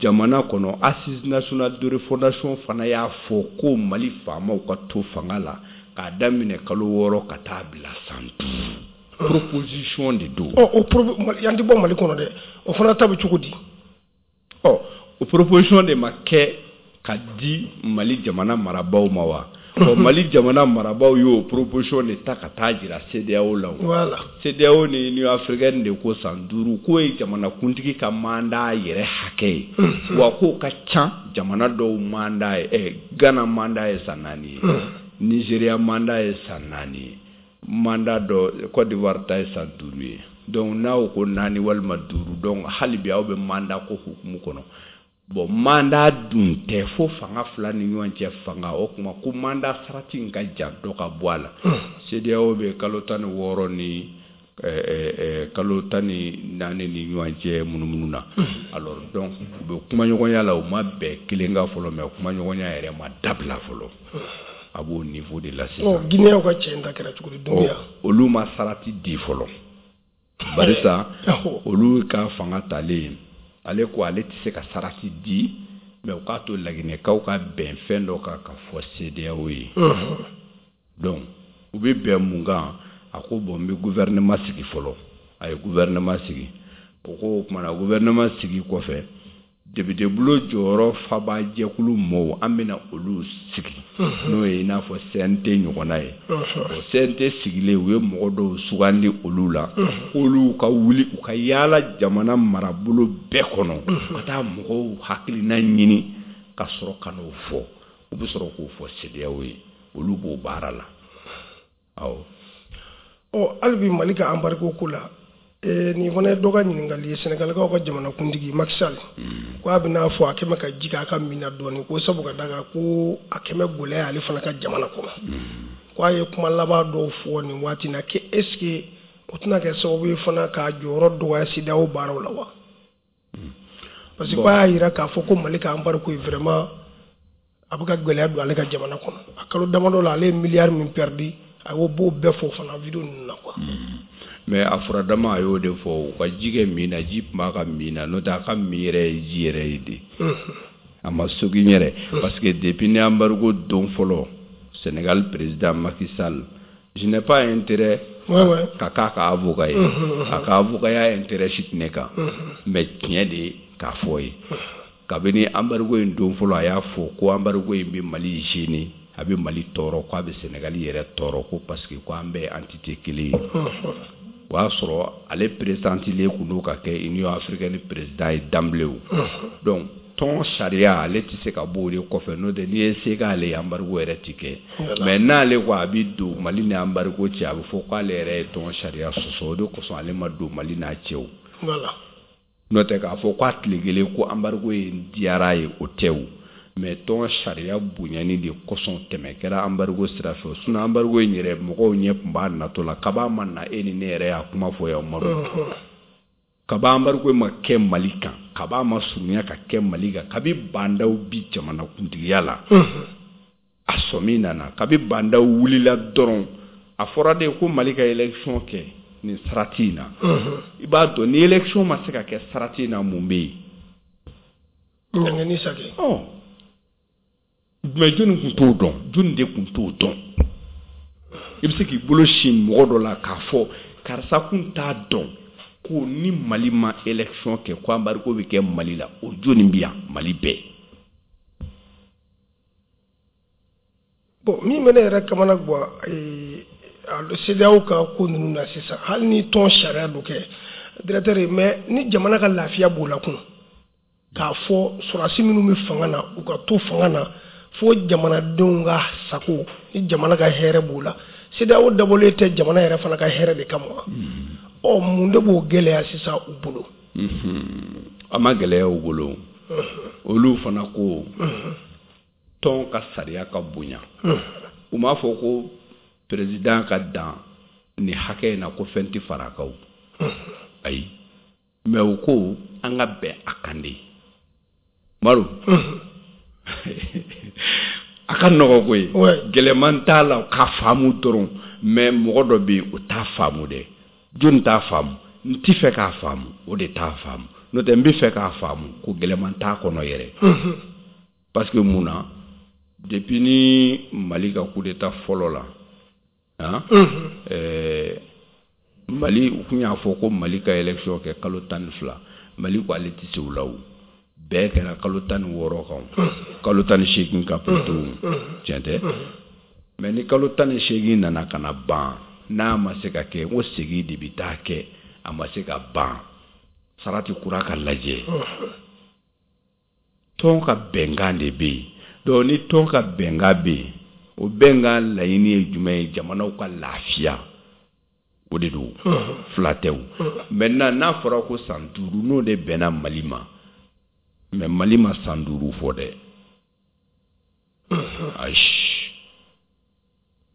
jamana kɔnɔ Assise nationale de refondation fana y'a fɔ ko Mali faamaw ka to fanga la k'a daminɛ kalo 6 ka taa bila san 5. Proposition de don. Ɔ, o yan tɛ bɔ Mali kɔnɔ dɛ, o fana ta bɛ cogo di? Ɔ, o proposition de ma kɛ ka di Mali jamana marabaaw ma wa? Ɔ, Mali jamana marabaaw y'o proposition de ta ka taa jira CEDEAO la. Voilà. CEDEAO ni Union africaine de ko san 5 k'o ye jamanakuntigi ka mandat yɛrɛ hakɛ ye. Wa k'o ka ca jamana dɔw mandat ye, Ghana mandat ye san 4 ye. Nigeria mandat ye san 4 ye. Mandat dɔ Côte d'Ivoire ta ye san 5 ye. Donc n'aw ko 4 walima 5, donc hali bi aw bɛ mandat ko hukumu kɔnɔ. Bon, mandat dun tɛ fo fanga fila ni ɲɔgɔn cɛ fanga, o tuma ko mandat sarati in ka jan dɔ ka bɔ a la. CEDEAO bɛ kalo 16 ni kalo 14 ni ɲɔgɔn cɛ munumunu na. Alors donc u bɛ kumaɲɔgɔnya la, u ma bɛn kelen kan fɔlɔ, mais kumaɲɔgɔnya yɛrɛ ma dabila fɔlɔ. A b'o niveau de la sisan. Ɔ, Guinéen ka cɛ in ta kɛra cogo di, Doumbouya? Olu ma sarati di fɔlɔ. Barisa olu ka fanga talen, ale ko ale tɛ se ka sarati di, mais u k'a to Laginɛkaw ka bɛn fɛn dɔ kan ka fɔ CEDEAO ye. Donc u bɛ bɛn mun kan? A ko bon, n bɛ gouvernement sigi fɔlɔ. A ye gouvernement sigi. O ko o tuma na gouvernement sigi kɔfɛ, député bulon jɔyɔrɔ faba jɛkulu mɔɔw, an bɛna olu sigi, n'o ye i n'a fɔ CNT ɲɔgɔnna ye. O CNT sigilen, u ye mɔgɔ dɔw sugandi olu la, k'olu ka wuli u ka yaala jamana marabolo bɛɛ kɔnɔ, ka taa mɔgɔw hakilina ɲini ka sɔrɔ ka n'o fɔ. U bɛ sɔrɔ k'o fɔ CEDEAO ye, olu b'o baara la. Awɔ. Ɔ, hali bi Mali ka embargo ko la, Nin fana ye dɔ ka ɲininkali ye, Sɛnɛgalikaw ka jamanakuntigi Macky Sall, ko a bɛna fɔ a kɛmɛ ka ji k'a ka min na dɔɔnin, ko sabu ka da kan ko a kɛmɛ gɛlɛya ale fana ka jamana kɔnɔ, ko a ye kuma laban dɔw fɔ nin waati na, que est ce que o tɛna kɛ sababu ye fana k'a jɔyɔrɔ dɔgɔya CEDEAO baaraw la wa? Parce que ko a y'a jira k'a fɔ ko Mali ka embargo ye vraiment a bɛ ka gɛlɛya don ale ka jamana kɔnɔ. A kalo damadɔ la, ale ye miliyari min perdu, a y'o b'o bɛɛ fɔ fana vidéo ninnu na quoi. Mais a furadama a y'o de fɔ, u ka ji kɛ min na, ji tun b'a ka min na, n'o tɛ a ka min yɛrɛ ye ji yɛrɛ ye de, a ma sogin yɛrɛ, parce que depuis ni embargo don fɔlɔ, Sénégal président Macky Sall, je n'ai pas intérêt ka k'a ka avocat ye, a ka avocat ya intérêt si tɛ ne kan, mais tiɲɛ de k'a fɔ ye, kabini embargo in don fɔlɔ, a y'a fɔ ko embargo in bɛ Mali gêner, a bɛ Mali tɔɔrɔ, k'a bɛ Sénégal yɛrɛ tɔɔrɔ, ko parce que ko an bɛɛ ye entité kelen ye. O y'a sɔrɔ ale présentilen kun don ka kɛ Union africaine président ye d'emblée o. Donc tɔn sariya, ale tɛ se ka bɔ o de kɔfɛ, n'o tɛ n'i ye se k'ale ye, embargo yɛrɛ ti kɛ. Mais n'ale ko a bɛ don Mali ni embargo cɛ, a bɛ fɔ k'ale yɛrɛ ye tɔn sariya sɔsɔ. O de kosɔn ale ma don Mali n'a cɛ o. N'o tɛ k'a fɔ k'a tile kelen ko embargo in diyara ye, o tɛ o. Mais tɔn sariya bonyani de kosɔn tɛmɛ kɛra embargo sira fɛ. Sinon embargo in yɛrɛ, mɔgɔw ɲɛ tun b'a natɔ la kaba ma na, e ni ne yɛrɛ y'a kuma fɔ yan Umaru, kaba embargo ma kɛ Mali kan, kaba ma surunya ka kɛ Mali kan, kabi Bah N'Daw bi jamanakuntigiya la, a sɔmi nana, kabi Bah N'Daw wulila dɔrɔn, a fɔra de ko Mali ka élection kɛ nin sarati in na. I b'a dɔn ni élection ma se ka kɛ sarati in na, mun bɛ yen? Ɲangini sake. Mais jɔnni tun t'o dɔn? Jɔnni de tun t'o dɔn? I bɛ se k'i bolo sin mɔgɔ dɔ la k'a fɔ karisa kun t'a dɔn ko ni Mali ma élection kɛ, ko embargo bɛ kɛ Mali la? O jɔnni bɛ yan Mali bɛɛ? Bon, min bɛ ne yɛrɛ kamana gan CEDEAO ka ko ninnu na sisan, hali ni tɔn sariya dɔ kɛ directeur ye, mais ni jamana ka lafiya b'o la kun, k'a fɔ sɔrɔdasi minnu bɛ fanga na, u ka to fanga na fo jamanadenw ka sago ni jamana ka hɛrɛ b'o la. CEDEAO dabɔlen tɛ jamana yɛrɛ fana ka hɛrɛ de kama wa? Ɔ, mun de b'o gɛlɛya sisan u bolo? A ma gɛlɛya u bolo. Olu fana ko tɔn ka sariya ka bonya. U m'a fɔ ko président ka dan ni hakɛ in na, ko fɛn tɛ fara a kan o, ayi. Mais u ko an ka bɛn a kan de. Maro, a ka nɔgɔ koyi, gɛlɛman t'a la k'a faamu dɔrɔn. Mais mɔgɔ dɔ bɛ yen, o t'a faamu dɛ. Jɔnni t'a faamu? N ti fɛ k'a faamu, o de t'a faamu. N'o tɛ n bɛ fɛ k'a faamu ko gɛlɛman t'a kɔnɔ yɛrɛ. Parce que mun na, depuis ni Mali ka coup d'état fɔlɔ la, han, Mali, u tun y'a fɔ ko Mali ka élection kɛ kalo 12. Mali ko ale tɛ se o la. O bɛɛ kɛra kalo 16 kan, kalo 18 kan plutôt, tiɲɛ tɛ? Mais ni kalo 18 nana ka na ban, n'a ma se ka kɛ, n ko segin de bɛ taa kɛ. A ma se ka ban, sarati kura ka lajɛ. Tɔn ka bɛnkan de bɛ yen. Donc ni tɔn ka bɛnkan bɛ yen, o bɛnkan laɲini ye jumɛn ye? Jamanaw ka lafiya, o de don, fila tɛ o. Maintenant n'a fɔra ko san 5, n'o de bɛnna Mali ma, mais Mali ma san 5 fɔ dɛ, ayi.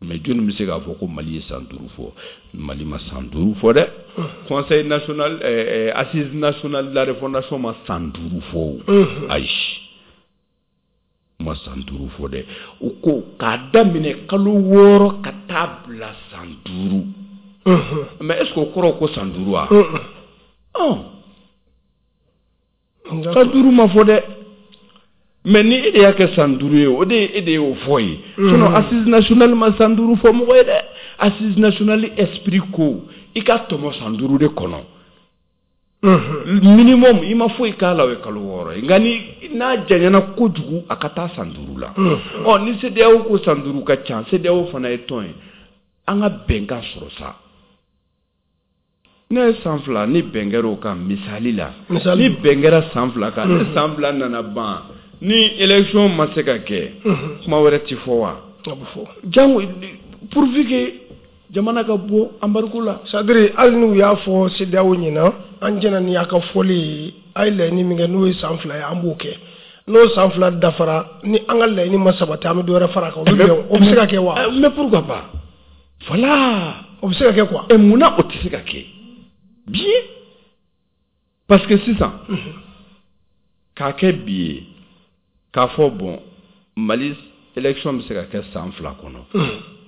Mais jɔnni bɛ se k'a fɔ ko Mali ye san 5 fɔ? Mali ma san 5 fɔ dɛ. Conseil national, assise nationale de la refondation ma san 5 fɔ o, ayi, ma san 5 fɔ dɛ. U ko k'a daminɛ kalo 6 ka taa bila san 5. Mais est ce que o kɔrɔ ko san 5 wa? Ɔ, san 5 ma fɔ dɛ. Mais ni e de y'a kɛ san 5 ye, o de e de y'o fɔ ye. Sinon assise nationale ma san 5 fɔ mɔgɔ ye dɛ. Assise nationale esprit ko i ka tɔmɔ san 5 de kɔnɔ minimum. I ma foyi k'a la, o ye kalo 6 ye. Nka ni n'a janyana kojugu, a ka taa san 5 la. Ɔ, ni CEDEAO ko san 5 ka ca, CEDEAO fana ye tɔn ye, an ka bɛnkan sɔrɔ sa. Ne ye san 2 ni bɛn kɛra o kan, misali la, ni bɛn kɛra san 2 kan, ni san 2 nana ban, ni élection ma se ka kɛ, kuma wɛrɛ ti fɔ wa? Jango pourvu que Jamana ka bɔ embargo la. C'est-à-dire hali n'u y'a fɔ CEDEAO ɲɛna, an jɛna ni a ka fɔli ye, a ye laɲini min kɛ n'o ye san 2 ye, an b'o kɛ. N'o san 2 dafara, ni an ka laɲini ma sabati, an bɛ dɔ wɛrɛ fara a kan. O bɛ bɛn, o bɛ se ka kɛ wa? Mais pourquoi pas? Voilà. O bɛ se ka kɛ quoi? Et munna o tɛ se ka kɛ? Bien. Parce que sisan, k'a kɛ bi ye, k'a fɔ bon, Mali élection bɛ se ka kɛ san 2 kɔnɔ.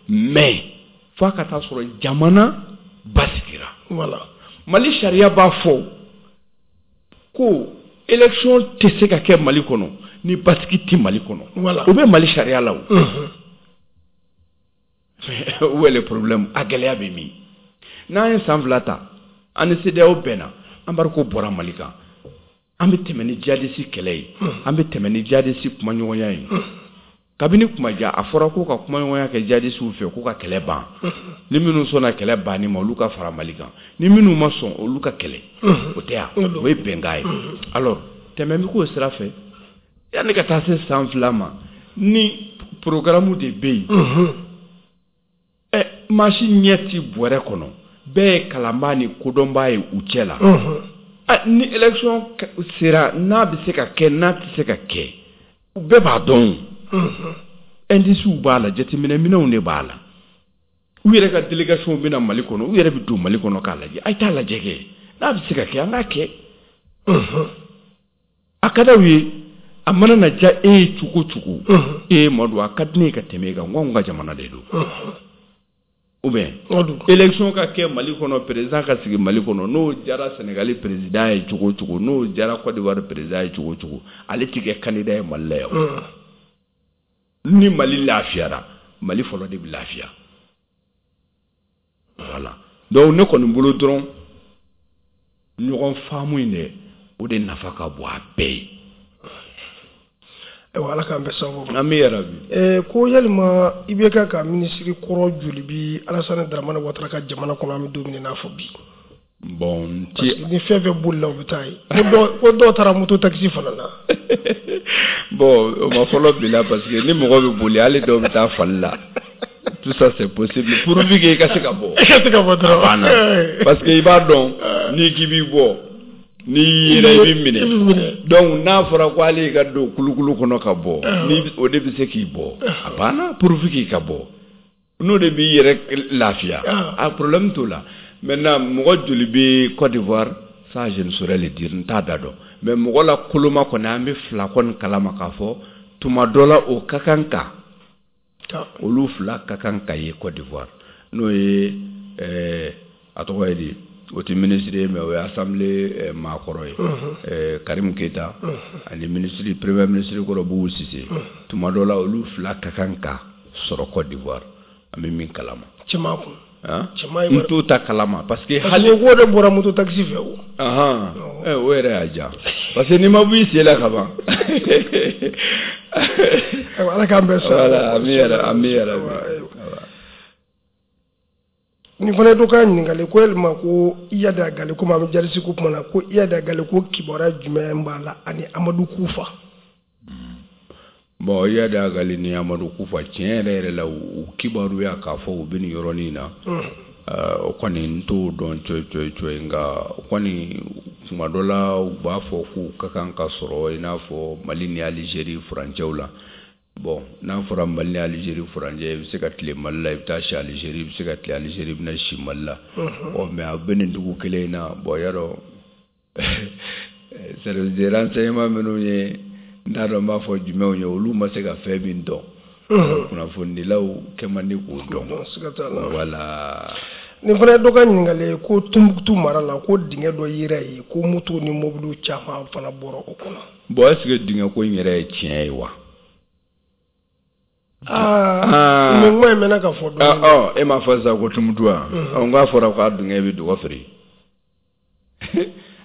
Mais f'a ka taa sɔrɔ jamana basigira. Voilà. Mali sariya b'a fɔ ko élection tɛ se ka kɛ Mali kɔnɔ ni basigi tɛ Mali kɔnɔ. Voilà. O bɛ Mali sariya la o. Où est le problème? A gɛlɛya bɛ min? N'an ye san 2 ta, an ni CEDEAO bɛnna, embargo bɔra Mali kan. An bɛ tɛmɛ ni djihadiste kɛlɛ ye, an bɛ tɛmɛ ni djihadiste kumaɲɔgɔnya ye. Kabini kuma ja, a fɔra ko ka kumaɲɔgɔnya kɛ djihadistew fɛ k'u ka kɛlɛ ban. Ni minnu sɔnna kɛlɛ banni ma, olu ka fara Mali kan. Ni minnu ma sɔn, olu ka kɛlɛ. O tɛ yan, o ye bɛnkan ye. Alors tɛmɛ bɛ k'o sira fɛ, yanni ka taa se san 2 ma, ni programme de bɛ yen. Ɛ, maa si ɲɛ ti bɔrɛ kɔnɔ, bɛɛ ye kalanbaa ni kodɔnbaa ye u cɛ la. Ni élection sera, n'a bɛ se ka kɛ, n'a tɛ se ka kɛ, u bɛɛ b'a dɔn. Indices b'a la, jateminɛ minɛnw de b'a la. U yɛrɛ ka délégation bɛ na Mali kɔnɔ, u yɛrɛ bɛ don Mali kɔnɔ k'a lajɛ. A ye taa lajɛ kɛ, n'a bɛ se ka kɛ, an k'a kɛ. A ka d'aw ye, a mana na diya e ye cogo o cogo, e ye Madu, a ka di ne ye ka tɛmɛ e kan, n ko anw ka jamana de don. Ou bien élection ka kɛ Mali kɔnɔ, président ka sigi Mali kɔnɔ, n'o diyara Sénégal président ye cogo o cogo, n'o diyara Côte d'Ivoire président ye cogo o cogo, ale ti kɛ candidat ye Mali la yan. Ni Mali lafiyara, Mali fɔlɔ de bɛ lafiya. Voilà. Donc ne kɔni bolo dɔrɔn, ɲɔgɔn faamu in dɛ, o de nafa ka bon a bɛɛ ye. Ayiwa, Ala k'an bɛɛ sababu ma. Ami yarabi. Ko yalima IBK ka minisiri kɔrɔ joli bi Alassane Dramane Ouattara ka jamana kɔnɔ, an bɛ don min na i n'a fɔ bi? Bon, n ti. Ni fɛn fɛn bolila, u bɛ taa yen. Ko dɔw taara moto taxi fana na. Bon, o ma fɔlɔ bi la, parce que ni mɔgɔ bɛ boli, hali dɔw bɛ taa fali la. Tout ça, c'est possible pourvu que i ka se ka bɔ. I ka se ka bɔ dɔrɔn. A banna. Parce que i b'a dɔn, n'i k'i b'i bɔ, n'i yera, i b'i minɛ. Donc n'a fɔra ko hali i ka don kulukulu kɔnɔ ka bɔ, ni o de bɛ se k'i bɔ, a banna, pourvu k'i ka bɔ. N'o de b'i yɛrɛ lafiya, a problème t'o la. Maintenant, mɔgɔ joli bɛ Côte d'Ivoire, ça je ne saurais le dire, n t'a da dɔn. Mais mɔgɔ la koloma kɔni, an bɛ fila kɔni kalama k'a fɔ tuma dɔ la o ka kan ka olu fila ka kan ka ye Côte d'Ivoire, n'o ye a tɔgɔ ye di, o tɛ ministre ye, mais o ye assemblée maakɔrɔ ye, Karim Keita, ani ministre, premier ministre kɔrɔ Boubou Cissé. Tuma dɔ la, olu fila ka kan ka sɔrɔ Côte d'Ivoire, an bɛ min kalama. Cɛman kun. N t'o ta kalama parce que hali ko de bɔra moto taxi fɛ o. O yɛrɛ y'a diya, parce que n'i ma bɔ i sen la ka ban. Ayiwa, Ala k'an bɛɛ sɔn. Voilà, ami yɛrɛ, ami yɛrɛ. Nin fana ye dɔ ka ɲininkali ko yalima ko Iyad Ag Ghali, komi an bɛ djihadiste ko kuma na, ko Iyad Ag Ghali, ko kibaruya jumɛn b'a la ani Amadu Kufa? Bon, Iyad Ag Ghali ni Amadu Kufa, tiɲɛ yɛrɛ yɛrɛ la, u kibaruya k'a fɔ u bɛ nin yɔrɔnin na, o kɔni n t'o dɔn coyi coyi coyi. Nka o kɔni, tuma dɔ la, u b'a fɔ k'u ka kan ka sɔrɔ i n'a fɔ Mali ni Alizeri furancɛw la. Bon, n'a fɔra Mali ni Alizeri furancɛ, i bɛ se ka tile Mali la, i bɛ taa si Alizeri, i bɛ se ka tile Alizeri, i bɛ na si Mali la. Ɔ, mais a bɛ nin dugu kelen in na. Bon, yarɔ, service de renseignement minnu ye, n t'a dɔn n b'a fɔ jumɛnw ye, olu ma se ka fɛn min dɔn, kunnafonidilaw kɛ man di k'o dɔn. Voilà. Nin fana ye dɔ ka ɲininkali ye ko Tunbutu mara la, ko dingɛ dɔ yera yen, ko moto ni mobiliw caman fana bɔra o kɔnɔ. Bon, est ce que dingɛ ko in yɛrɛ ye tiɲɛ ye wa? Aa, nin kuma in mɛnna ka fɔ dɔɔnin. Ɔ, e m'a fɔ sisan ko Tumutu wa? Ɔ, n k'a fɔra k'a dingɛ bɛ dɔgɔ feere.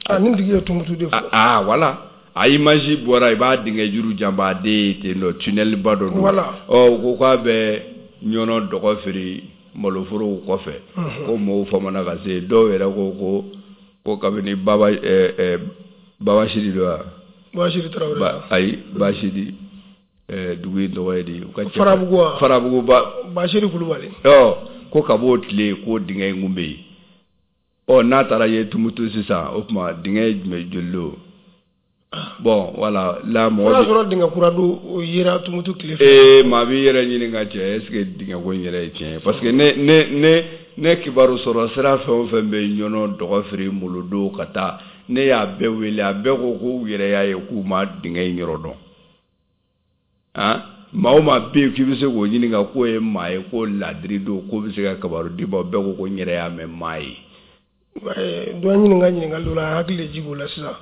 Aa, nin tigi ye Tumutu de fɔ. Aa, voilà, a image bɔra, i b'a dingɛ juru janbaden ye ten nɔ, tunnel ba dɔ don. Ɔ, u ko k'a bɛ ɲɔnɔ dɔgɔ feere maloforow kɔfɛ, ko mɔgɔw famana ka se, dɔw yɛrɛ ko kabini Baba Babasidi don wa? Babasidi Tarawele. Ayi, Basidi, dugu in tɔgɔ ye di? U ka Farabugu wa? Farabugu ba. Basiri Kulubali. Ɔ, Ko ka b'o tile k'o dingɛ in kun bɛ yen. Ɔ, n'a taara ye Tumutu sisan, o tuma dingɛ ye jumɛn, joli don? Bon, voilà, la mɔgɔ. O y'a sɔrɔ dingɛ kura don, o yera Tumutu tile fɛ. Ee, maa b'i yɛrɛ ɲininka cɛ, est ce que dingɛ ko in yɛrɛ ye tiɲɛ ye? Parce que ne kibaru sɔrɔ sira fɛn o fɛn bɛ Ɲɔnɔ, Dɔgɔfiri, Molodo ka taa, ne y'a bɛɛ wele, a bɛɛ ko k'u yɛrɛ y'a ye k'u ma dingɛ in yɔrɔ dɔn. Han, maa o maa bɛ yen k'i bɛ se k'o ɲininka k'o ye maa ye ko ladiri don, k'o bɛ se ka kibaru d'i ma, bɛɛ ko ko n yɛrɛ y'a mɛn, maa ye. Dɔ ɲininka ɲininkali dɔ la, a hakili de jigin o la sisan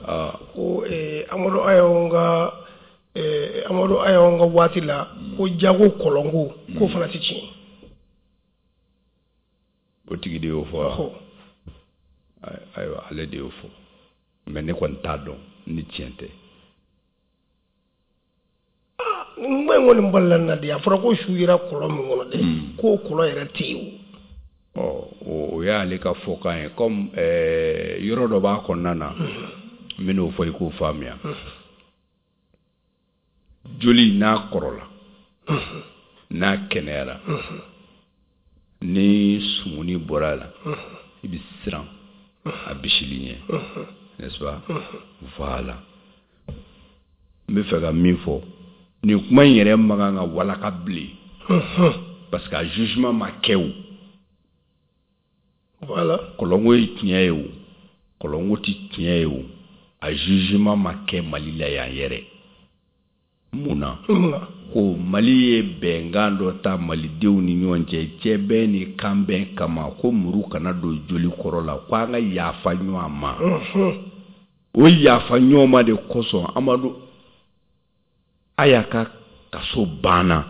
ko Amadu Aya ka waati la, ko jago kɔlɔnko k'o fana tɛ tiɲɛ. O tigi de y'o fɔ wa? Ayiwa, ale de y'o fɔ, mais ne kɔni t'a dɔn ni tiɲɛ tɛ. Nin kuma in kɔni balila na de, a fɔra ko su yera kɔlɔn min kɔnɔ dɛ, k'o kɔlɔn yɛrɛ tɛ yen. Ɔ, o y'ale ka fɔkan ye. Comme yɔrɔ dɔ b'a kɔnɔna na, n bɛn'o fɔ i k'o faamuya. Joli n'a kɔrɔla, n'a kɛnɛyara, ni sumuni bɔra a la, i bɛ siran a bisili ɲɛ, n'est-ce pas? Voilà, n bɛ fɛ ka min fɔ, nin kuma in yɛrɛ man kan ka walaka bilen, parce que a jugement ma kɛ o. Kɔlɔnko ye tiɲɛ ye o, kɔlɔnko tɛ tiɲɛ ye o, a jugement ma kɛ Mali la yan yɛrɛ. Mun na? Ko Mali ye bɛnkan dɔ ta malidenw ni ɲɔgɔn cɛ, cɛbɛn ni kanbɛn kama, ko muru kana don joli kɔrɔ la, ko an ka yafa ɲɔgɔn ma. O yafa ɲɔgɔn ma de kosɔn, Amadu Aya ka kaso banna,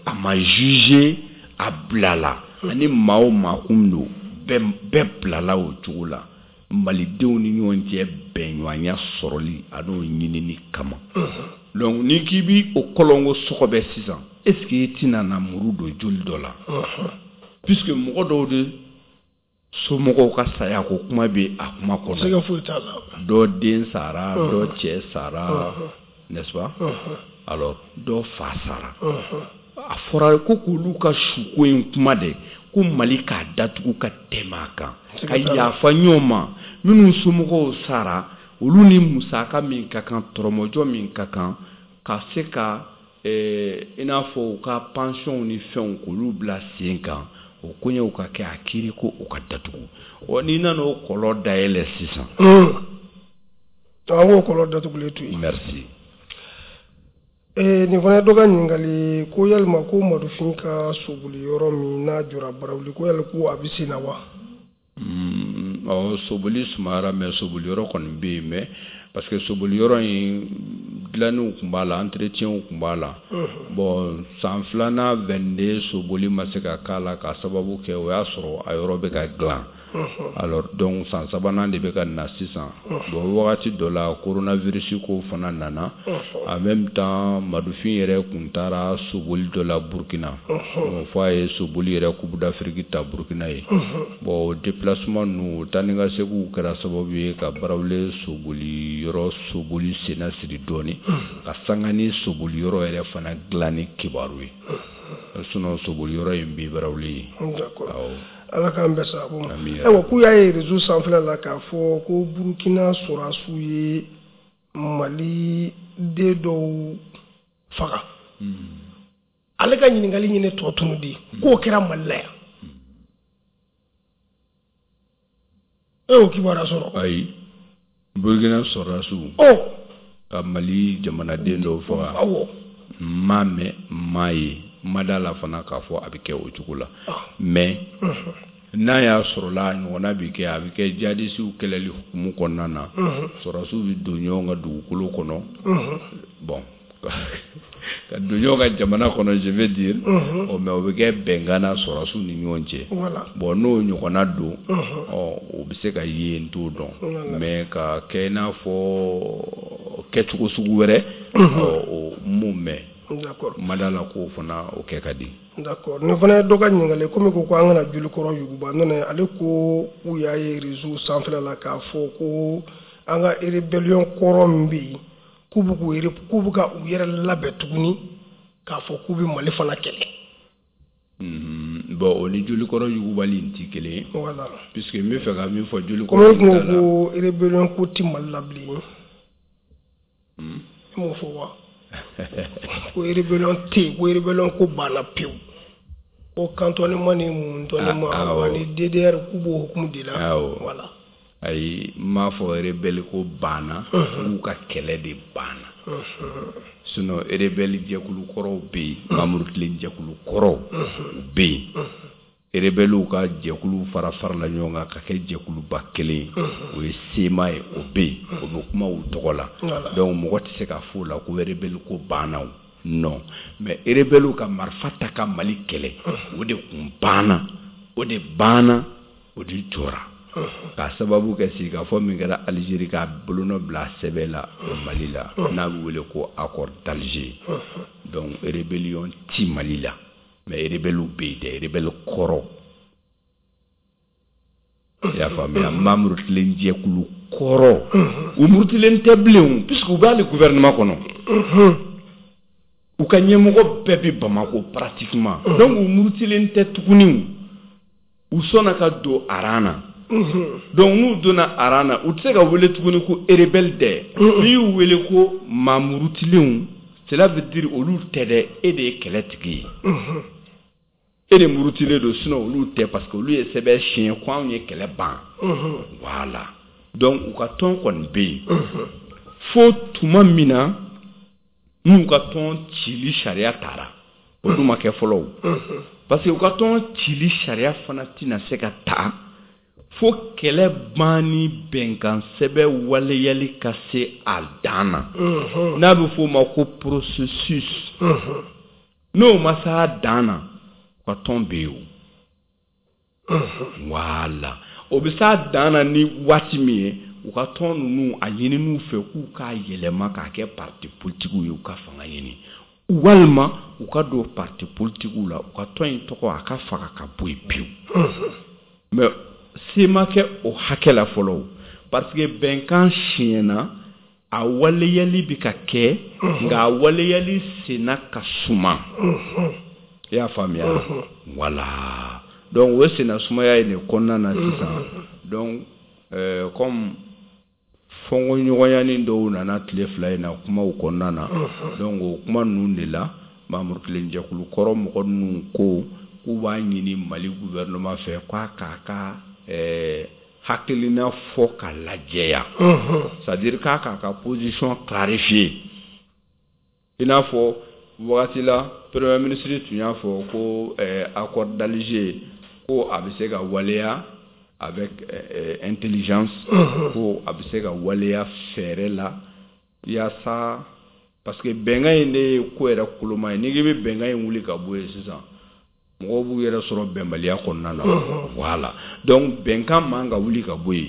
a ma juger, a bilala, ani maa o maa kun don, bɛɛ bilala o cogo la, malidenw ni ɲɔgɔn cɛ bɛnɲɔgɔnya sɔrɔli a n'o ɲinini kama. Donc ni k'i bi o kɔlɔnko sɔgɔbɛ sisan, est ce que i tɛna na muru don joli dɔ la? Puisque mɔgɔ dɔw de somɔgɔw ka saya ko kuma bɛ a kuma kɔnɔ. Sɛgɛ foyi t'a la. Dɔ den sara, dɔ cɛ sara, n'est-ce pas? Alors dɔ fa sara. A fɔra ko k'olu ka suko in kuma dɛ, ko Mali k'a datugu ka tɛmɛ a kan, ka yafa ɲɔgɔn ma, minnu somɔgɔw sara, olu ni musaka min ka kan, tɔrɔmɔjɔ min ka kan, ka se ka i n'a fɔ u ka pension ni fɛnw, k'olu bila sen kan, o koɲɛw ka kɛ, a kiiri ko o ka datugu. Ɔ, n'i nana o kɔlɔn dayɛlɛ sisan. An k'o kɔlɔn datugulen to yen. Merci. Nin fana ye dɔ ka ɲininkali ko yalima ko Madufin ka soboli yɔrɔ min n'a jɔra Barawuli, ko yali ko a bɛ sen na wa? Ɔ, soboli sumayara, mais soboli yɔrɔ kɔni bɛ yen, mais parce que soboli yɔrɔ in dilanniw tun b'a la, entretien tun b'a la. Bon, san filanan 22, soboli ma se ka k'a la k'a sababu kɛ o y'a sɔrɔ a yɔrɔ bɛ ka dilan. Alors donc san sabanan de bɛ ka na sisan. Bon, wagati dɔ la, coronavirus ko fana nana. En même temps, Madufin yɛrɛ kun taara soboli dɔ la Burkina. Bon, fɔ a ye soboli yɛrɛ Coupe d'Afrique ta Burkina ye. Bon, o déplacement ninnu, o taa ni ka seginw kɛra sababu ye ka Barawuli soboli yɔrɔ soboli senna siri dɔɔni, ka sanga ni soboli yɔrɔ yɛrɛ fana dilanni kibaru ye. Sinon soboli yɔrɔ in bɛ Barawuli ye. D'accord. Ala k'an bɛɛ sababu ma. Ayiwa, k'u y'a ye réseau sanfɛla la k'a fɔ ko Burukina sɔrɔdasiw ye Mali den dɔw faga. Ale ka ɲininkali ɲini tɔ tunu di k'o kɛra Mali la yan. E y'o kibaruya sɔrɔ? Ayi, Burukina sɔrɔdasiw ka Mali jamanaden dɔw faga. Awɔ. N m'a mɛn, n m'a ye, n ma da la fana k'a fɔ a bɛ kɛ o cogo la. Mais n'a y'a sɔrɔ la a ɲɔgɔnna bɛ kɛ, a bɛ kɛ jihadisiw kɛlɛli hukumu kɔnɔna na. Sɔrɔdasiw bɛ don ɲɔgɔn ka dugukolo kɔnɔ. Bon, ka don ɲɔgɔn ka jamana kɔnɔ, je veux dire. Ɔ, mais o bɛ kɛ bɛnkan na sɔrɔdasiw ni ɲɔgɔn cɛ. Bon, n'o ɲɔgɔnna don, ɔ, o bɛ se ka ye, n t'o dɔn. Mais ka kɛ i n'a fɔ kɛcogo sugu wɛrɛ, ɔ, o m'o mɛn. Ma da la k'o fana o kɛ ka di. D'accord. Nin fana ye dɔ ka ɲininkali, komi ko an kana jolikɔrɔ yuguba nɔnɛ, ale ko k'u y'a ye réseau sanfɛla la k'a fɔ ko an ka rébellion kɔrɔ min bɛ yen, k'u bɛ ka u yɛrɛ labɛn tuguni k'a fɔ k'u bɛ Mali fana kɛlɛ. Bon, o ni jolikɔrɔ yugubali in ti kelen ye. Voilà. Puisque n bɛ fɛ ka min fɔ jolikɔrɔ Comme kun ko ko rébellion ko ti Mali la bilen. E m'o fɔ wa? Ko rébellion tɛ yen, ko rébellion ko banna pewu. Ko cantonnement ni muntɔnnement ani DDR k'u b'o hukumu de la. Voilà. Ayi, n m'a fɔ rebelle ko banna, k'u ka kɛlɛ de banna. Sinon rebelle jɛkulu kɔrɔw bɛ yen, Mamurutilen jɛkulu kɔrɔw u bɛ yen. Rebellew ka jɛkulu fara farala ɲɔgɔn kan ka kɛ jɛkuluba kelen ye, o ye CMA ye, o bɛ yen, o bɛ kuma u tɔgɔ la. Donc mɔgɔ tɛ se ka fɔ o la ko rebelle ko banna o. Non, mais rebelle ka marifa ta ka Mali kɛlɛ, o de kun banna, o de banna, o de jɔra. K'a sababu kɛ sigikafɔ min kɛra Algérie k'a bolonɔ bila sɛbɛn la Mali la, n'a bɛ wele ko accord d'Alger. Donc rébellion ti Mali la, mais rebelle bɛ yen dɛ, rebelle kɔrɔ. I y'a faamuya? Mamurutilen jɛkulu kɔrɔ, u murutilen tɛ bilen, puisque u b'ale gouvernement kɔnɔ. U ka ɲɛmɔgɔ bɛɛ bɛ Bamako pratiquement. Donc u murutilen tɛ tuguni, u sɔnna ka don aran na. Donc n'u donna aran na, u tɛ se ka wele tuguni ko rebelle dɛ. N'i y'u wele ko maa murutilenw, cela veut dire olu tɛ dɛ, e de ye kɛlɛtigi ye, e de murutilen don. Sinon olu tɛ, parce que olu ye sɛbɛn siɲɛ ko anw ye kɛlɛ ban. Voilà. Donc u ka tɔn kɔni bɛ yen fo tuma min na n'u ka tɔn cili sariya taara, o dun ma kɛ fɔlɔ o, parce que u ka tɔn cili sariya fana tɛna se ka ta fo kɛlɛ ban ni bɛnkan sɛbɛn waleyali ka se a dan na, n'a bɛ f'o ma ko processus. N'o ma s'a dan na, u ka tɔn bɛ yen o. Voilà. O bɛ s'a dan na ni waati min ye, u ka tɔn ninnu a ɲini fɛ k'u k'a yɛlɛma k'a kɛ parti politique ye, u ka fanga ɲini, walima u ka don parti politique la, u ka tɔn in tɔgɔ a ka faga ka bɔ yen pewu. Mais se ma kɛ o hakɛ la fɔlɔ, parce que bɛnkan siɲɛna, a waleyali bɛ ka kɛ, nka a waleyali senna ka suma. I y'a faamuya? Voilà. Donc o senna sumaya in de kɔnɔna na sisan, donc comme fɔnkɔɲɔgɔnyanin dɔw nana tile 2 in na kumaw kɔnɔna na, donc o kuma ninnu de la, Mamurutilen jɛkulu kɔrɔ mɔgɔ ninnu ko k'u b'a ɲini Mali gouvernement fɛ k'a k'a ka hakilina fɔ ka lajɛya, c'est à dire k'a k'a ka position clarifier. I n'a fɔ wagati la, premier ministre tun y'a fɔ ko accord d'Alger ko a bɛ se ka waleya avec intelligence, ko a bɛ se ka waleya fɛɛrɛ la yaasa, parce que bɛnkan in de ye ko yɛrɛ koloma ye. N'i k'i bɛ bɛnkan in wuli ka bɔ yen sisan, mɔgɔw b'u yɛrɛ sɔrɔ bɛnbaliya kɔnɔna na. Voilà. Donc bɛnkan man ka wuli ka bɔ yen,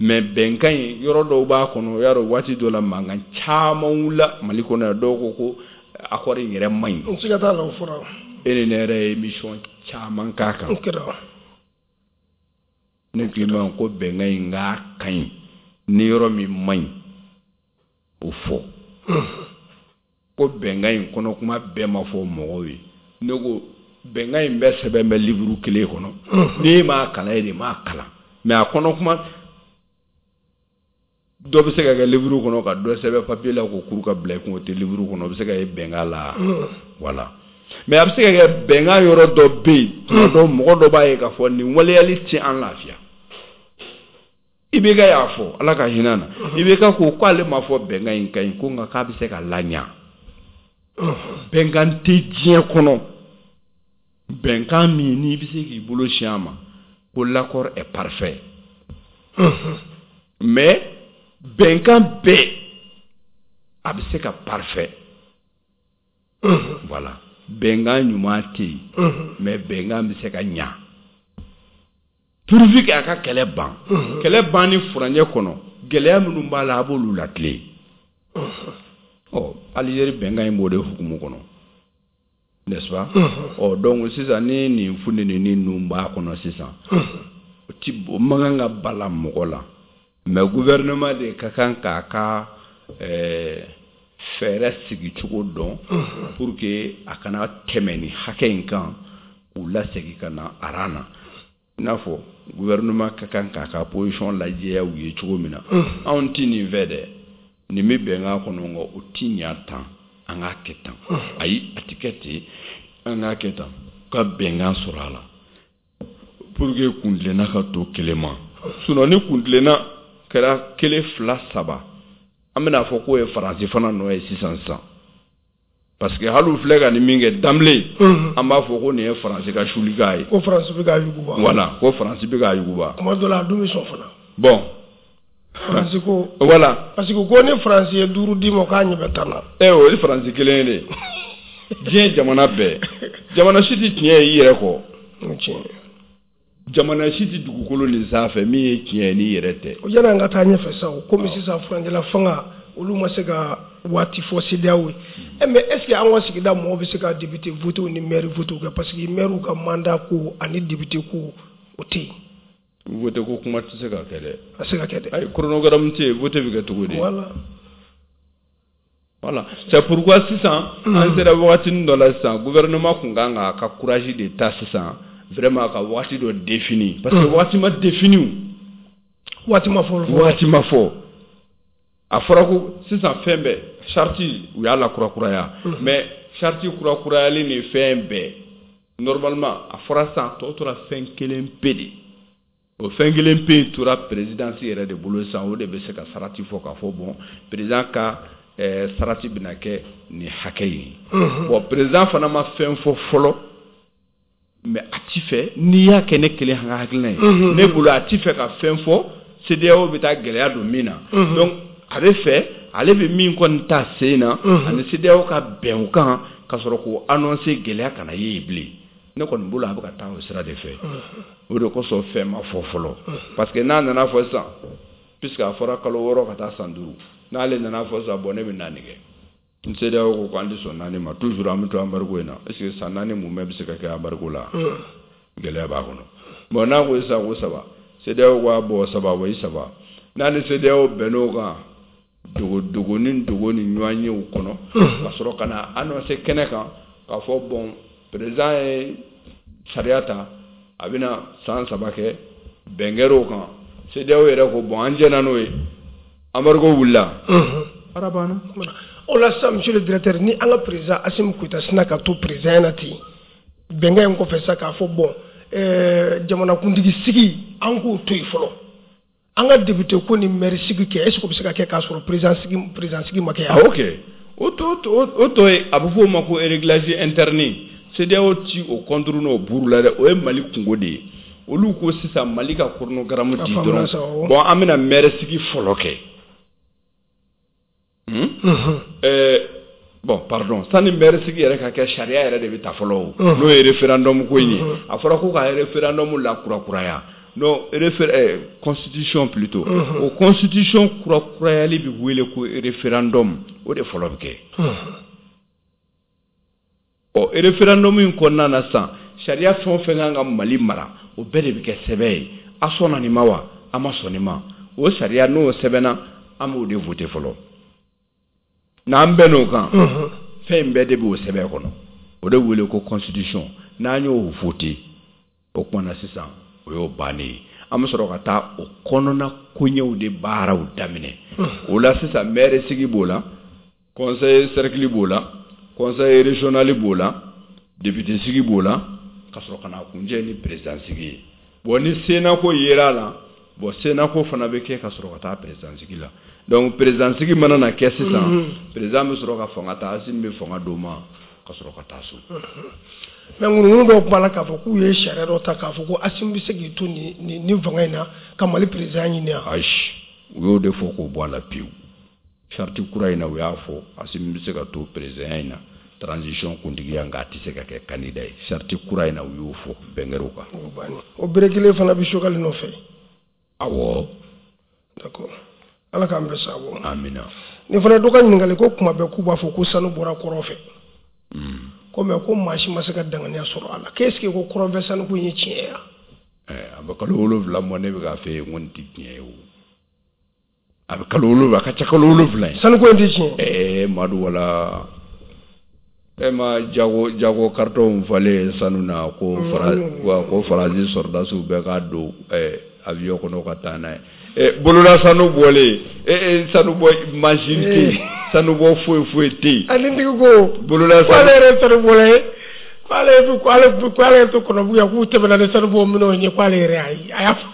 mais bɛnkan in yɔrɔ dɔw b'a kɔnɔ, y'a dɔn waati dɔ la mankan caman wulila Mali kɔnɔ yan, dɔw ko ko accord in yɛrɛ man ɲi. Siga t'a la, o fɔra. E ni ne yɛrɛ ye émission caman k'a kan. Ne k'i ma ko bɛnkan in k'a ka ɲi, ni yɔrɔ min man ɲi o fɔ, ko bɛnkan in kɔnɔ kuma bɛɛ ma fɔ mɔgɔw ye. Ne ko bɛnkan in bɛɛ sɛbɛn bɛ livre kelen kɔnɔ, n'e m'a kalan, e de m'a kalan, mais a kɔnɔ kuma dɔ bɛ se ka kɛ livre kɔnɔ ka dɔ sɛbɛn papier la k'o kuru ka bila i kun, o tɛ livre kɔnɔ, o bɛ se ka ye bɛnkan la. Voilà. Mais a bɛ se ka kɛ bɛnkan yɔrɔ dɔ bɛ yen, tuma dɔ mɔgɔ dɔ b'a ye k'a fɔ nin waleyali tɛ an lafiya. IBK y'a fɔ, Ala ka hinɛ na, IBK ko k'ale ma fɔ bɛnkan in ka ɲi, ko nka k'a bɛ se ka laɲa. Bɛnkan tɛ diɲɛ kɔnɔ, bɛnkan min n'i bɛ se k'i bolo si a ma ko l'accord est parfait, mais bɛnkan bɛɛ a bɛ se ka parfait. Voilà. Bɛnkan ɲuman tɛ yen, mais bɛnkan bɛ se ka ɲa pourvu que a ka kɛlɛ ban, kɛlɛ ban ni furancɛ kɔnɔ, gɛlɛya minnu b'a la, a b'olu latilen. Ɔ, Algérie bɛnkan in b'o de hukumu kɔnɔ, n'est-ce pas? Ɔ, donc sisan ni nin funteni ninnu b'a kɔnɔ sisan, o ti o man kan ka bala mɔgɔ la, mais gouvernement de ka kan k'a ka fɛɛrɛ sigi cogo dɔn pour que a kana tɛmɛ nin hakɛ in kan. K'u lasegin ka na rang na, i n'a fɔ gouvernement ka kan k'a ka position lajɛya u ye cogo min na. Anw ti nin fɛ dɛ, nin bɛ bɛnkan kɔnɔ, nka o ti ɲa tan, an k'a kɛ tan. Ayi, a ti kɛ ten, an k'a kɛ tan, ka bɛnkan sɔrɔ a la pour que kuntilenna ka to kelen ma. Sinon ni kuntilenna kɛra kelen, fila, saba, an bɛna fɔ k'o ye Faransi fana nɔ ye sisan sisan, parce que hali u filɛ ka nin min kɛ d'emblée, an b'a fɔ ko nin ye Faransi ka sulikan ye. Ko Faransi bɛ k'a yuguba. Voilà, ko Faransi bɛ k'a yuguba. Kuma dɔ la, a dun bɛ sɔn fana. Bon. Faransi ko. Voilà. Parce que ko ni Faransi ye 5 d'i ma, k'a ɲɛ bɛ 10 na. O ye Faransi kelen ye de. Diɲɛ jamana bɛɛ, jamana si tɛ tiɲɛ ye i yɛrɛ kɔ. O tiɲɛ. Jamana si tɛ dugukolo nin sanfɛ min ye tiɲɛ ye n'i yɛrɛ tɛ. O yanni an ka taa ɲɛfɛ sa, o komi sisan furancɛla fanga, olu ma se ka waati fɔ CEDEAO ye. Mais est ce que an ka sigida mɔgɔw bɛ se ka député voter ni maire voter kɛ? Parce que maire ka mandat ko ani député ko, o tɛ yen. Vote ko kuma tɛ se ka kɛ dɛ. A se ka kɛ dɛ. Ayi, chronogramme tɛ yen, vote bɛ kɛ cogo di? Voilà. Voilà, c'est pourquoi sisan an sera wagatinin dɔ la sisan, gouvernement kun kan k'a ka courage de ta sisan, vraiment ka waati dɔ défini, parce que waati ma défini. Waati ma fɔ. Waati ma fɔ. A fɔra ko sisan fɛn bɛɛ charte, u y'a lakurakuraya, mais charte kurakurayali ni fɛn bɛɛ, normalement a fɔra sisan tɔ tora fɛn kelen pe de. O fɛn kelen pe in tora présidence yɛrɛ de bolo sisan. O de bɛ se ka sarati fɔ k'a fɔ bon, président ka sarati bɛna kɛ nin hakɛ ye. Bon, président fana ma fɛn fɔ fɔlɔ, mais a ti fɛ n'i y'a kɛ ne kelen ka hakilina ye. Ne bolo, a ti fɛ ka fɛn fɔ CEDEAO bɛ taa gɛlɛya don min na. Donc a bɛ fɛ, ale bɛ min kɔni ta sen na, ani CEDEAO ka bɛn o kan ka sɔrɔ k'o annoncer, gɛlɛya kana ye yen bilen. Ne kɔni bolo, a bɛ ka taa o sira de fɛ. O de kosɔn fɛn ma fɔ fɔlɔ, parce que n'a nana fɔ sisan, puisque a fɔra kalo 6 ka taa san 5, n'ale nana fɔ sisan, bon, ne bɛ naani kɛ, n CEDEAO ko k'an tɛ sɔn 4 ma, toujours an bɛ to embargo in na. Est ce que san 4 mun bɛ se ka kɛ embargo la? Gɛlɛya b'a kɔnɔ. Bon, n'a ko sisan ko 3, CEDEAO ko a bɔn 3, wa i 3, n'a ni CEDEAO bɛnn'o kan dogo dogo ni dogo ni ɲɔgɔn yew kɔnɔ, ka sɔrɔ ka na annoncer kɛnɛ kan k'a fɔ bon, président ye sariya ta, a bɛna san 3 kɛ, bɛn kɛr'o kan, CEDEAO yɛrɛ ko bon, an jɛna n'o ye, embargo wulila, baara banna. O la sisan, monsieur le directeur, ni an ka président Assimi Goïta sina ka to président na ten, bɛnkan in kɔfɛ sisan, k'a fɔ bon, jamanakuntigi sigi, an k'o to yen fɔlɔ, an ka député ko ni maire sigi kɛ, est ce que o bɛ se ka kɛ k'a sɔrɔ président sigi ma kɛ yan? Ah, ok, o tɔ ye, a bɛ fɔ o ma ko réglage interne. CEDEAO ti o contourner n'o buru la dɛ, o ye Mali kungo de ye. Olu ko sisan Mali ka chronogramme di dɔrɔn, bon, an bɛna maire sigi fɔlɔ kɛ. Bon, pardon, sani maire sigi yɛrɛ ka kɛ, sariya yɛrɛ de bɛ ta fɔlɔ o, n'o ye référendum ko in ye. A fɔra ko ka référendum la kurakuraya, non, constitution plutôt. O constitution kurakurayali bɛ wele ko référendum, o de fɔlɔ bɛ kɛ. Ɔ, référendum in kɔnɔna na sisan, sariya fɛn o fɛn kan ka Mali mara, o bɛɛ de bɛ kɛ sɛbɛn ye. A sɔnna nin ma wa, a ma sɔn nin ma? O sariya n'o sɛbɛnna, an b'o de voter fɔlɔ. N'an bɛnn'o kan, fɛn in bɛɛ de b'o sɛbɛn kɔnɔ, o de wele ko constitution. N'an y'o voter, o tuma na sisan o y'o bannen ye, an bɛ sɔrɔ ka taa o kɔnɔna koɲɛw de baaraw daminɛ. O la sisan, maire sigi b'o la, conseil cercle b'o la, conseil régional b'o la, député sigi b'o la, ka sɔrɔ ka na kuncɛ ni président sigi ye. Bon, ni Sénat ko yera a la, bon, Sénat ko fana bɛ kɛ ka sɔrɔ ka taa président sigi la. Donc président sigi mana na kɛ sisan, président bɛ sɔrɔ ka fanga ta, Assimi bɛ fanga d'o ma ka sɔrɔ ka taa so. Mais ŋunuŋunu dɔw b'a la k'a fɔ k'u ye sariya dɔ ta k'a fɔ ko Assimi bɛ se k'i to nin fanga in na ka Mali président ɲini yan. Ayi, u y'o de fɔ k'o bɔ a la pewu. Charte kura in na, u y'a fɔ Assimi bɛ se ka to président in na, transition kuntigiya, nka a tɛ se ka kɛ candidat ye. Charte kura in na, u y'o fɔ, bɛn kɛr'o kan. O bere kelen fana bɛ Choguel nɔfɛ. Awɔ. D'accord, Ala k'an bɛn sababu ma. Amina. Nin fana dɔ ka ɲininkali ko, kuma bɛɛ k'u b'a fɔ ko sanu bɔra kɔrɔn fɛ, ko mais ko maa si ma se ka danganiya sɔrɔ a la, qu'est-ce que ko kɔrɔnfɛ sanuko in ye tiɲɛ ye wa? A bɛ kalo 7 bɔ, ne bɛ k'a fɛ yen ko nin tɛ tiɲɛ ye o. A bɛ kalo 7, a ka ca kalo 7 ye. Sanuko in tɛ tiɲɛ. Madu, wala. E ma jago carton falen sanu na ko ko Faransi sɔrɔdasiw bɛɛ ka don avion kɔnɔ ka taa n'a ye. Bolola sanu bɔlen, sanu bɔ machine tɛ yen, sanu bɔ foyi foyi tɛ yen. Ani tigi ko bolola sanu k'ale yɛrɛ sanu bɔla ye, k'ale yɛrɛ to Kɔnɔbugu yan, k'u tɛmɛna ni sanu bɔ minɛnw ye, k'ale yɛrɛ a y'a fɔ.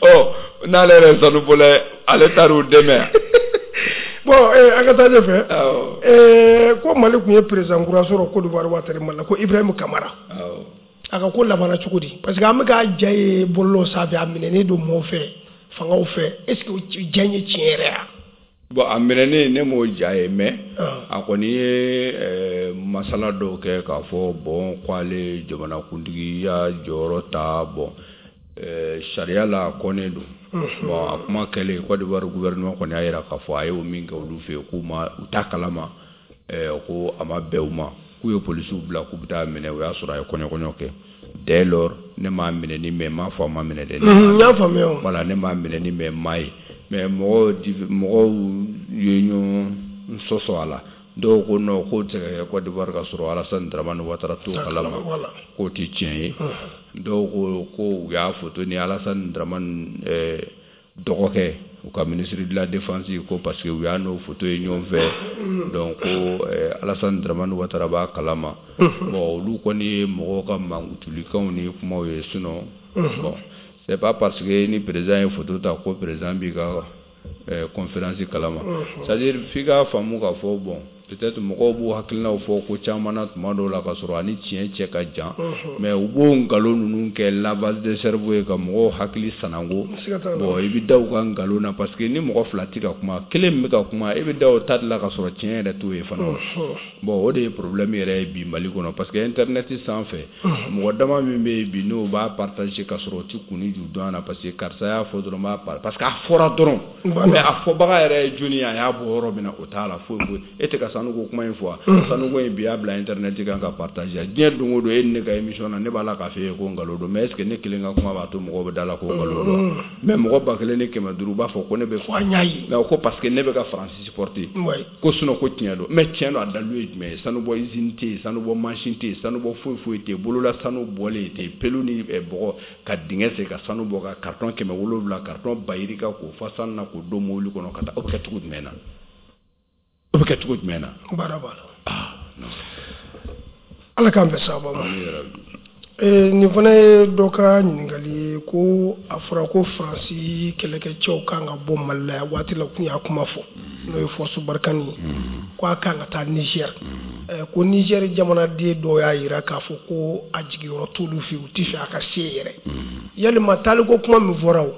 Ɔ, n'ale yɛrɛ ye sanu bɔla ye, ale taar'u dɛmɛ. Bon, an ka taa ɲɛfɛ. Ko Mali tun ye président kura sɔrɔ Côte d'Ivoire waati Mali la, ko Ibrahim Kamara. A ka ko labanna cogo di? Parce que an bɛ ka ja ye bɔlɔlɔ sanfɛ, a minɛnen don mɔɔw fɛ, fangaw fɛ. Est ce que ja in ye tiɲɛ yɛrɛ ya? Bon, a minɛnen, ne m'o ja ye, mais a kɔni ye masala dɔw kɛ k'a fɔ bon, k'ale jamanakuntigiya jɔyɔrɔ ta, bon, sariya la a kɔnnen don. Bon, a kuma kɛlen, Côte d'Ivoire gouvernement kɔni y'a jira k'a fɔ a y'o min kɛ olu fɛ yen, k'u ma, u t'a kalama, ko a ma bɛn u ma, k'u ye polisiw bila k'u bɛ taa minɛ, o y'a sɔrɔ a ye kɔɲɔ kɛ. Dès lors, ne m'a minɛ ni mais m'a fɔ a ma minɛ dɛ. N y'a faamuya. Voilà, ne m'a minɛ ni mais m'a ye. Mais mɔgɔw ye ɲɔgɔn sɔsɔ a la. Dɔw ko non, k'o tɛ se ka kɛ Côte d'Ivoire ka sɔrɔ Alassane Dramane Ouattara t'o kalama, k'o tɛ tiɲɛ ye. Dɔw ko ko u y'a photo ni Alassane Dramane dɔgɔkɛ, u ka ministre de la défense, ko parce que u y'a n'o photo ye ɲɔgɔn fɛ, donc ko Alassane Dramane Ouattara b'a kalama. Bon, olu kɔni ye mɔgɔw ka mankutulikanw ni kumaw ye. Sinon, bon, c'est pas parce que ni président ye photo ta ko président b'i ka conférence kalama. C'est à dire, f'i k'a faamu k'a fɔ, bon, peut-être mɔgɔw b'u hakilinaw fɔ ko caman na tuma dɔw la ka sɔrɔ ani tiɲɛ cɛ ka jan, mais u b'o nkalon ninnu kɛ lavage de cerveau ye ka mɔgɔw hakili sanango. Bon, i bɛ da u ka nkalon na, parce que ni mɔgɔ fila tɛ ka kuma, kelen min bɛ ka kuma, e bɛ da o ta de la ka sɔrɔ tiɲɛ yɛrɛ t'o ye fana. Bon, o de ye problème yɛrɛ ye bi Mali kɔnɔ, parce que internet sanfɛ, mɔgɔ dama min bɛ yen bi, n'o b'a partager ka sɔrɔ o tɛ kun ni ju dɔn a na, parce que karisa y'a fɔ dɔrɔn, b'a parce que a fɔra dɔrɔn, mais a fɔbaga yɛrɛ ye jɔnni ye, a y'a bɔ yɔrɔ min na, o t'a la foyi foyi. E tɛ ka sanuko kuma in fɔ, sanuko in bi y'a bila internet kan ka partager diɲɛ don o don. E ni ne ka émission na, ne b'a la k'a fɔ e ye ko nkalon don, mais est ce que ne kelen ka kuma b'a to mɔgɔw bɛ da la ko nkalon don? Mais mɔgɔ 1500 b'a fɔ ko ne bɛ fɔ an y'a ye, mais ko parce que ne bɛ ka Faransi supporter, ko sinon ko tiɲɛ don. Mais tiɲɛ don, a dalilu ye jumɛn ye? Sanubɔ usine tɛ yen, sanubɔ machine tɛ yen, sanubɔ foyi foyi tɛ yen, bolola sanu bɔlen tɛ yen, pelu ni bɔgɔ ka dingɛ sen ka sanu bɔ, ka carton 700, carton ba yirika, k'o fa sanu na, k'o don mobili kɔnɔ ka taa, o bɛ kɛ cogo jumɛn na? O bɛ kɛ cogo jumɛn na? Baara b'a la. Ah non, Ala k'an bɛn sababa ma. Nin fana ye dɔ ka ɲininkali ye, ko a fɔra ko Faransi kɛlɛkɛcɛw kan ka bɔ Mali la yan waati la, kun y'a kuma fɔ, n'o ye Force Barkhane ye, ko a kan ka taa Niger. Ko Niger jamanaden dɔw y'a jira k'a fɔ ko a jigiyɔrɔ t'olu fɛ, u tɛ fɛ a ka se yɛrɛ. Yalima taaliko kuma min fɔra, o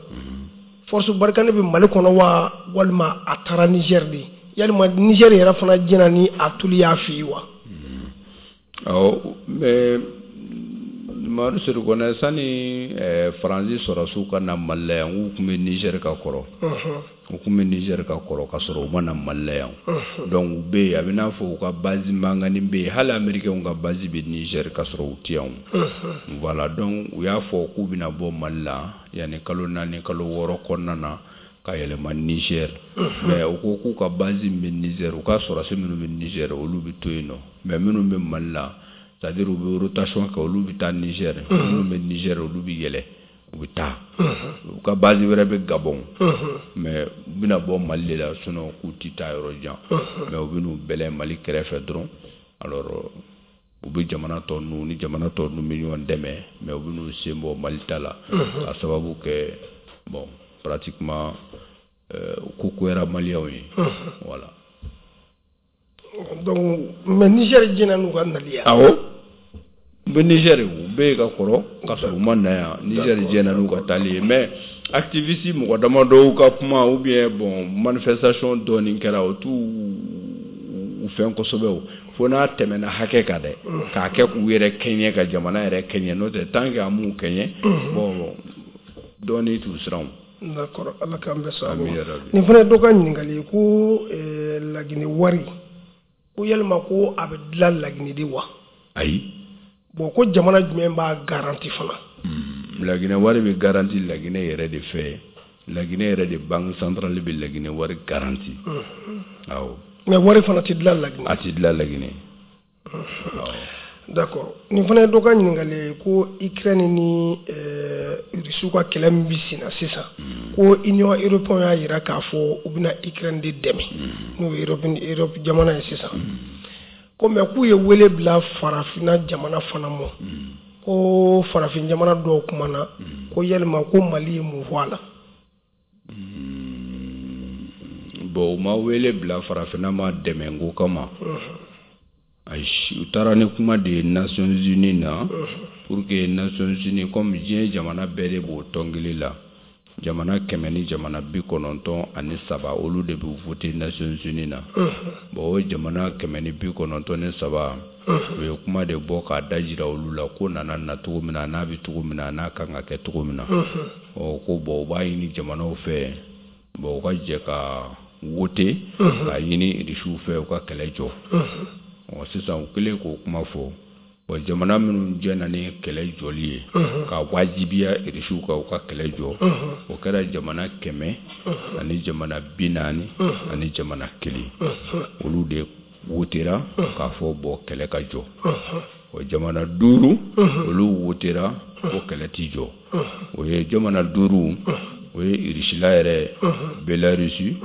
Force Barkhane bɛ Mali kɔnɔ wa, walima a taara Niger de? Yalima Niger yɛrɛ fana jɛna ni a tuli y'a fɛ yen wa? Awɔ, mais Mamadu Sedu Kɔnɛ, sani Faransi sɔrɔdasiw ka na Mali la yan, u tun bɛ Niger ka kɔrɔ, u tun bɛ Niger ka kɔrɔ ka sɔrɔ u ma na Mali la yan. Donc u bɛ yen, a bɛ n'a fɔ u ka base mankanni bɛ yen, hali américains ka base bɛ Niger ka sɔrɔ u tɛ yan. Voilà, donc u y'a fɔ k'u bɛna bɔ Mali la yanni kalo 4, kalo 6 kɔnɔna na ka yɛlɛma Niger. Mais u ko k'u ka base min bɛ Niger, u ka sɔrɔdasi minnu bɛ Niger, olu bɛ to yen nɔ, mais minnu bɛ Mali la, c'est à dire u bɛ rotation kɛ, olu bɛ taa Niger, minnu bɛ Niger, olu bɛ yɛlɛ, u bɛ taa. U ka base wɛrɛ bɛ Gabon, mais u bɛna bɔ Mali de la, sinon k'u tɛ taa yɔrɔ jan, mais u bɛ n'u bɛlɛn Mali kɛrɛfɛ dɔrɔn. Alors u bɛ jamana tɔ ninnu ni jamana tɔ ninnu bɛ ɲɔgɔn dɛmɛ, mais u bɛ n'u sen bɔ Mali ta la, ka sababu kɛ, bon, pratiquement ko goyara maliyɛnw ye, voilà. Donc, mais Niger jɛna n'u ka nali ye? Awɔ, u bɛ Niger, u bɛ yen ka kɔrɔ ka sɔrɔ u ma na yan. Niger jɛna n'u ka taali ye, mais activiste mɔgɔ damadɔw ka kuma ou bien, bon, manifestation dɔɔnin kɛra, o t'u u fɛn kosɛbɛ, o fo n'a tɛmɛna hakɛ kan dɛ, k'a kɛ k'u yɛrɛ kɛɲɛ, ka jamana yɛrɛ kɛɲɛ. N'o tɛ, tant que a m'u kɛɲɛ, bon, dɔɔnin t'u siran. D'accord, Ala k'an bɛn sababu ma. Nin fana ye dɔ ka ɲininkali ye, ko Laginɛ wari, ko yalima ko a bɛ dilan Laginɛ de wa? Ayi. Bon, ko jamana jumɛn b'a garanti fana? Laginɛ wari bɛ garanti Laginɛ yɛrɛ de fɛ. Laginɛ yɛrɛ de, banque centrale bɛ Laginɛ wari garanti. Awɔ. Mais wari fana tɛ dilan Laginɛ? A tɛ dilan Laginɛ. D'accord. Nin fana ye dɔ ka ɲininkali ye ko Ukraine ni Rusiw ka kɛlɛ min bɛ sen na sisan, ko Union européenne y'a jira k'a fɔ u bɛna Ukraine de dɛmɛ, n'o ye Europe jamana ye sisan, ko mais k'u ye wele bila farafinna jamana fana ma, ko farafin jamana dɔw kumana, ko yalima ko Mali ye mun fɔ a la? Bon, u ma wele bila farafinna ma dɛmɛ ko kama. Ayi, u taara ni kuma de ye Nations Unies na pour que Nations Unies, comme diɲɛ jamana bɛɛ de b'o tɔn kelen la, jamana 193, olu de bɛ voter Nations Unies na. Bon, o jamana 193, u ye kuma de bɔ k'a da jira olu la ko nana na cogo min na, n'a bɛ cogo min na, n'a kan ka kɛ cogo min na. Ɔ, ko bon, u b'a ɲini jamanaw fɛ, bon, u ka jɛ ka voter k'a ɲini Irisiw fɛ u ka kɛlɛ jɔ. Ɔ, sisan u kɛlen k'o kuma fɔ, bon, jamana minnu jɛna ni kɛlɛ jɔli ye ka wajibiya Irisiw kan u ka kɛlɛ jɔ, o kɛra jamana 141, olu de wotera k'a fɔ bon, kɛlɛ ka jɔ. O jamana duuru, olu wotera ko kɛlɛ ti jɔ. O ye jamana duuru, o ye Irisila yɛrɛ, Belarusi,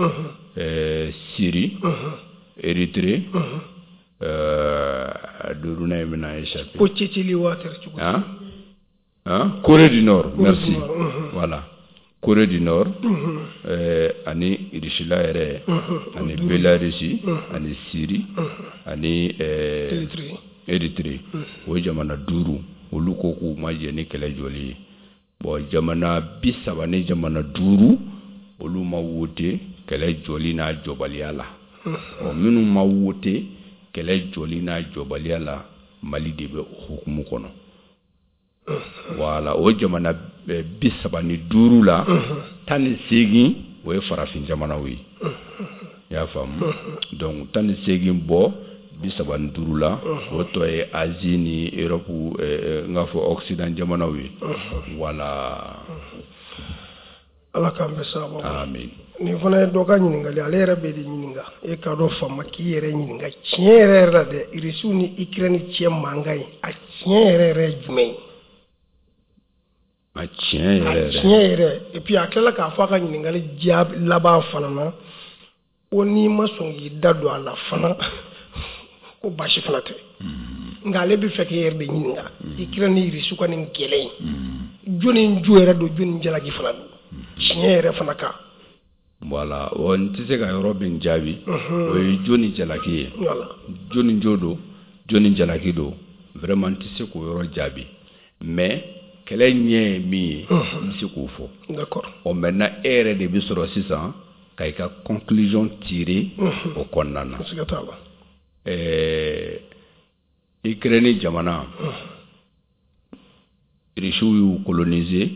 Syrie, Érythrée, duurunan in bɛna échapper. Ko Tchétchénie waati cogo? Hein? Hein? Corée du Nord, merci. Voilà. Corée du Nord, ani Irisila yɛrɛ, ani Belarusi, ani Syrie, ani Érythrée. O ye jamana duuru, olu ko k'u ma jɛ ni kɛlɛ jɔli ye. Bon, jamana 35, olu ma wote kɛlɛ jɔli n'a jɔbaliya la. Ɔ, minnu ma wote kɛlɛ jɔli n'a jɔbaliya la, Mali de bɛ o hukumu kɔnɔ. Voilà, o jamana 35 la, 18, o ye farafin jamanaw ye. I y'a faamu? Donc 18 bɔ 35 la, o tɔ ye Asie ni Europe, n k'a fɔ Occident jamanaw ye. Voilà. Ala k'an bɛɛ sababu. Amin. Nin fana ye dɔ ka ɲininkali, ale yɛrɛ bɛ de ɲininka. E k'a dɔn faama k'i yɛrɛ ɲininka tiɲɛ yɛrɛ yɛrɛ la dɛ, Irisiw ni Ukraine cɛ mankan ye, a tiɲɛ yɛrɛ yɛrɛ ye jumɛn ye? A tiɲɛ yɛrɛ yɛrɛ. A tiɲɛ yɛrɛ. Et puis a tilala k'a fɔ a ka ɲininkali jaabi laban fana na ko n'i ma sɔn k'i da don a la fana, ko baasi fana tɛ. Nka ale bɛ fɛ k'e yɛrɛ de ɲininka, Ukraine ni Irisiw ka nin kɛlɛ in, jɔnni jo yɛrɛ don, jɔnni jalaki fana don tiɲɛ yɛrɛ fana kan? Voilà, o n tɛ se ka yɔrɔ min jaabi, o ye jɔnni jalaki ye, jɔnni jo don, jɔnni jalaki don, vraiment n tɛ se k'o yɔrɔ jaabi. Mais kɛlɛ ɲɛ ye min ye, n bɛ se k'o fɔ. Ɔ, maintenant e yɛrɛ de bɛ sɔrɔ sisan ka i ka conclusion tirer o kɔnɔna na. Siga t'a la. Ukraine jamana, Irisiw y'u coloniser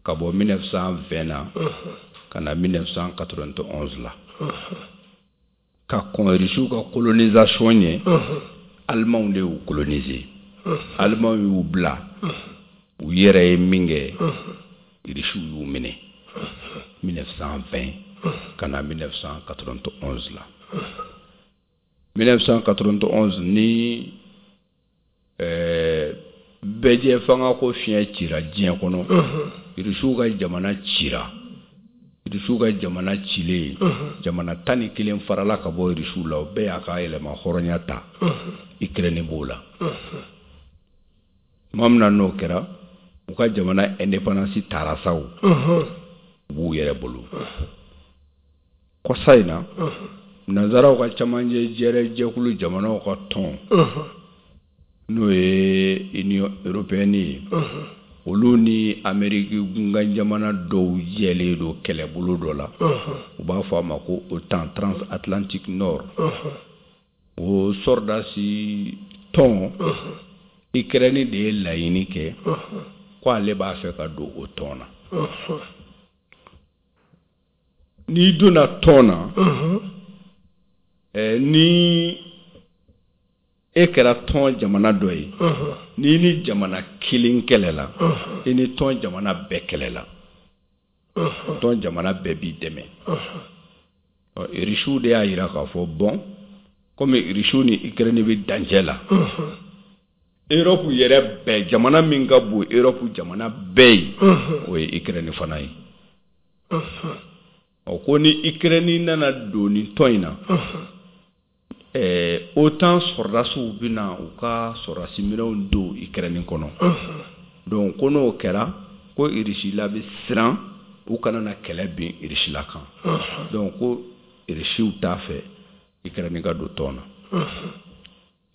ka bɔ 1920 na ka na 1991 la. Ka kɔn Irisiw ka colonisation ɲɛ, Alimanw de y'u coloniser. Alimanw y'u bila u yɛrɛ ye min kɛ, Irisiw y'u minɛ 1920 ka na 1991 la. 1991 ni bɛɛjɛ fanga ko fiɲɛ cira diɲɛ kɔnɔ, Irisiw ka jamana cira. Irisiw ka jamana cilen, jamana 11 farala ka bɔ Irisiw la, o bɛɛ y'a ka yɛlɛma hɔrɔnya ta. Ukraine b'o la. Tuma min na n'o kɛra, u ka jamana indépendance taara sa, o u b'u yɛrɛ bolo. Kɔsa in na, nanzaraw ka camancɛ jɛrɛ jɛkulu jamanaw ka tɔn, n'o ye Union européenne ye, olu ni Amérique gunkan jamana dɔw jɛlen don kɛlɛbolo dɔ la, u b'a fɔ a ma ko OTAN, transatlantique nord. O sɔrɔdasi tɔn, Ukraine de ye laɲini kɛ ko ale b'a fɛ ka don o tɔn na. N'i donna tɔn na, ni e kɛra tɔn jamana dɔ ye, n'i ni jamana kelen kɛlɛla, i ni tɔn jamana bɛɛ kɛlɛla, tɔn jamana bɛɛ b'i dɛmɛ. Ɔ, Irisiw de y'a jira k'a fɔ bon, Komi Irisiw ni Ukraine bɛ dancɛ la, Europe yɛrɛ bɛɛ, jamana min ka bon Europe jamana bɛɛ ye, o ye Ukraine fana ye. Ɔ, ko ni Ukraine nana don nin tɔn in na, OTAN sɔrɔdasiw bɛna u ka sɔrɔdasi minɛnw don Ukraine kɔnɔ. Donc ko n'o kɛra, ko Irisila bɛ siran u kana na kɛlɛ bin Irisila kan. Donc ko Irisiw t'a fɛ Ukraine ka don tɔn na.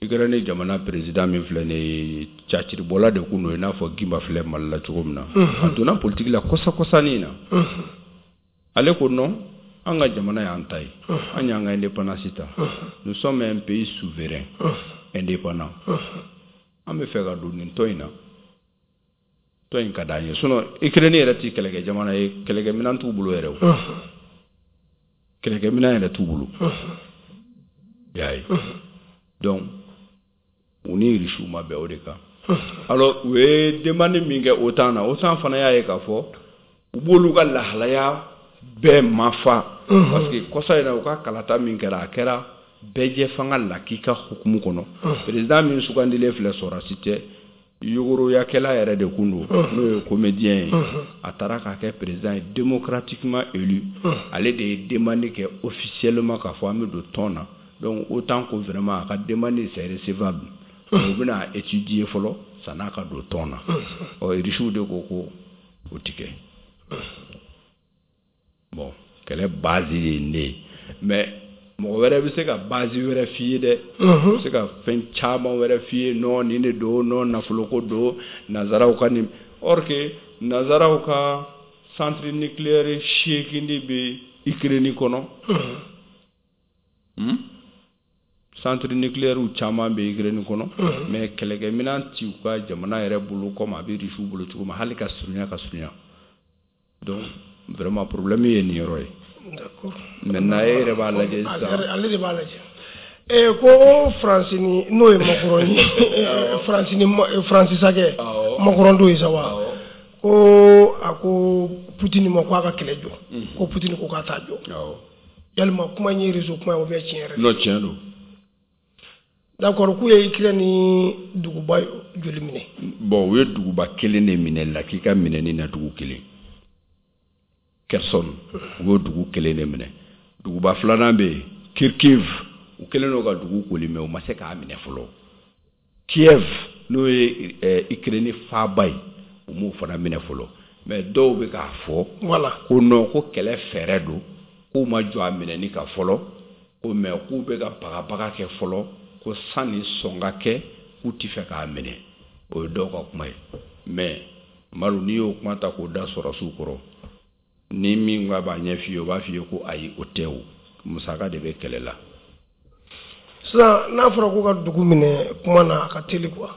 Ukraine jamana président min filɛ nin ye, caciribɔla de kun don, i n'a fɔ Gimba filɛ Mali la cogo min na. A donna politique la kɔsa kɔsanin na. Ale ko non, an ka jamana y'an ta ye, an y'an ka indépendance ta, nous sommes un pays souverain indépendant, an bɛ fɛ ka don nin tɔn in na, tɔn in ka d'an ye. Sinon Ukraine yɛrɛ ti kɛlɛkɛ jamana ye, kɛlɛkɛminɛn t'u bolo yɛrɛ, o kɛlɛkɛminɛn yɛrɛ t'u bolo, i y'a ye. Donc u ni Irisiw ma bɛn o de kan. Alors u ye demande min kɛ OTAN na, OTAN fana y'a ye k'a fɔ u b'olu ka lahalaya bɛɛ mafa, parce que kɔsa in na, u ka kalata min kɛra, a kɛra bɛɛjɛ fanga lakika hukumu kɔnɔ. Président min sugandilen filɛ, sɔrɔdasi tɛ, yogoroyakɛla yɛrɛ de kun don, n'o ye comédien ye. A taara k'a kɛ président ye, démocratiquement élu. Ale de ye demande kɛ officiellement k'a fɔ an bɛ don tɔn na. Donc OTAN ko vraiment a ka demande, c'est recevable, u bɛna étudier fɔlɔ san'a ka don tɔn na. Ɔ, Irisiw de ko ko o ti kɛ. Bon, kɛlɛ base ye nin de ye, mais mɔgɔ wɛrɛ bɛ se ka base wɛrɛ f'i ye dɛ, bɛ se ka fɛn caman wɛrɛ f'i ye. Non, nin de don, non, nafoloko don, nanzaraw ka nin. Or que nanzaraw ka centre nucléaire 8 de bɛ Ukraine kɔnɔ. Centre nucléaire caman bɛ Ukraine kɔnɔ, mais kɛlɛkɛminɛn ti u ka jamana yɛrɛ bolo comme a bɛ Rusiw bolo cogo min, hali ka surunya ka surunya. Donc vraiment problème ye nin yɔrɔ ye. D'accord. Maintenant e yɛrɛ b'a lajɛ sisan. Ale de b'a lajɛ. Ko Faransi ni, n'o ye Macron ye, Faransi ni Faransi sakɛ Macron don ye sa wa, ko a ko Poutine ma ko a ka kɛlɛ jɔ, ko Poutine ko k'a t'a jɔ. Yalima kuma in ye réseau kuma ye ou bien tiɲɛ yɛrɛ? Non, tiɲɛ don. D'accord, k'u ye Ukraine ni duguba joli minɛ? Bon, u ye duguba kelen de minɛ, lakika minɛni na dugu kelen, Kherson, u y'o dugu kelen de minɛ. Duguba filanan bɛ yen, Kharkiv, u kɛlen don ka dugu koli, mais u ma se k'a minɛ fɔlɔ. Kiev, n'o ye Ukraine faaba ye, u m'o fana minɛ fɔlɔ. Mais dɔw bɛ k'a fɔ ko non, ko kɛlɛ fɛɛrɛ don, k'u ma jɔ a minɛni kan fɔlɔ, ko mais k'u bɛ ka bagabaga kɛ fɔlɔ, ko sanni sɔn ka kɛ, k'u ti fɛ k'a minɛ. O ye dɔw ka kuma ye. Mais Madu, n'i y'o kuma ta k'o da sɔrɔsiw kɔrɔ, ni min ko a b'a ɲɛ f'i ye, o b'a f'i ye ko ayi, o tɛ, o musaka de bɛ kɛlɛ la. Sisan n'a fɔra ko ka dugu minɛ, kuma na a ka teli quoi.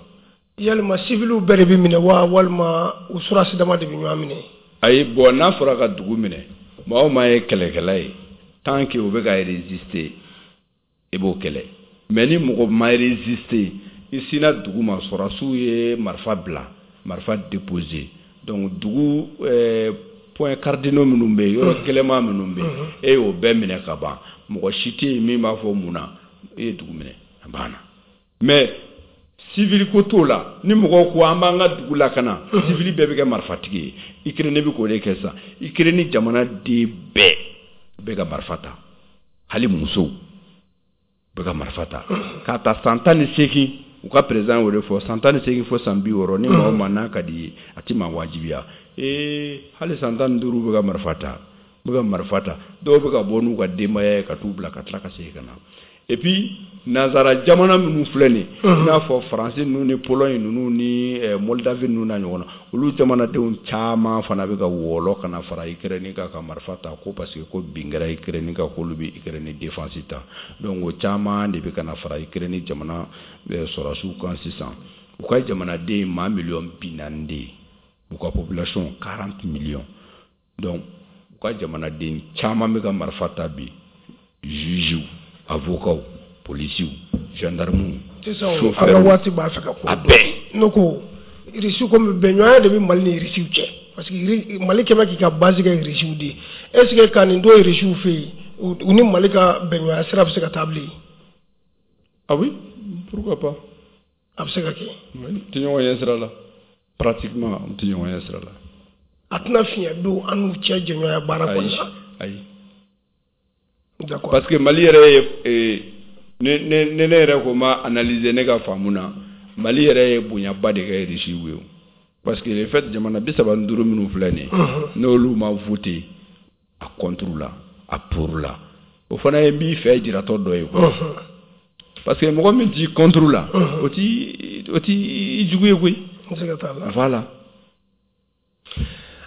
Yalima civiliw bɛɛ de bɛ minɛ wa, walima u sɔrɔdasi dama de bɛ ɲɔgɔn minɛ? Ayi, bon, n'a fɔra ka dugu minɛ, maa o maa ye kɛlɛkɛla ye, tant que o bɛ ka résister, i b'o kɛlɛ. Mais ni mɔgɔ ma résister, i sinna dugu ma, sɔrɔdasiw ye marifa bila, marifa déposer, donc dugu point cardinaux minnu bɛ yen, yɔrɔ gɛlɛnman minnu bɛ yen, e y'o bɛɛ minɛ ka ban, mɔgɔ si tɛ yen min b'a fɔ mun na e ye dugu minɛ, a banna. Mais civil ko t'o la. Ni mɔgɔw ko an b'an ka dugu lakana, civil bɛɛ bɛ kɛ marifatigi ye. Ukraine bɛ k'o de kɛ sisan. Ukraine jamanaden bɛɛ bɛ ka marifa ta, hali musow bɛ ka marifa ta, k'a ta san 18. U ka président y'o de fɔ, san 18 fo san 60, ni maa o maa n'a ka di ye, a ti maa wajibiya. Ee, hali san 15 bɛ ka marifa ta, bɛ ka marifa ta. Dɔw bɛ ka bɔ n'u ka denbaya ye ka t'u bila ka tila ka segin ka na. Et puis nanzara jamana minnu filɛ nin, i n'a fɔ Faransi ninnu ni Pologne ninnu ni Moldavie ninnu n'a ɲɔgɔn na, olu jamanadenw caman fana bɛ ka wɔlɔ ka na fara Ukraine kan ka marifa ta, ko parce que ko bin kɛra Ukraine kan, k'olu bɛ Ukraine défense ta. Donc o caman de bɛ ka na fara Ukraine jamana sɔrɔdasiw kan sisan. U ka jamanaden maa miliyɔn 40 de ye, u ka population 40 millions. Donc u ka jamanaden caman bɛ ka marifa ta bi, juges, avocats, policiers, gendarmes. Sisan an ka waati b'a fɛ ka ko a bɛɛ. Ne ko Irisiw, komi bɛnɲɔgɔnya de bɛ Mali ni Irisiw cɛ, parce que Mali kɛmɛ k'i ka base kɛ Irisiw de ye, est ce que ka nin to Irisiw fɛ yen, u ni Mali ka bɛnɲɔgɔnya sira bɛ se ka taa bilen? Ah oui, pourquoi pas. A bɛ se ka kɛ. Oui, tɛ ɲɔgɔn ɲɛ sira la. Pratiquement an tɛ ɲɔgɔn ɲɛ sira la. A tɛna fiɲɛ don an n'u cɛ jɛɲɔgɔnya baara kɔnɔna na. Ayi. D'accord. Parce que Mali yɛrɛ ye ne yɛrɛ ko ma analyser ne ka faamu na, Mali yɛrɛ ye bonyaba de kɛ Russie ye. Parce que le fait jamana 35 minnu filɛ nin ye, n'olu ma voté a contre la, a pour la, o fana ye n b'i fɛ jiratɔ dɔ ye quoi. Parce que mɔgɔ min t'i contre la, o t'i jugu ye koyi. Voilà.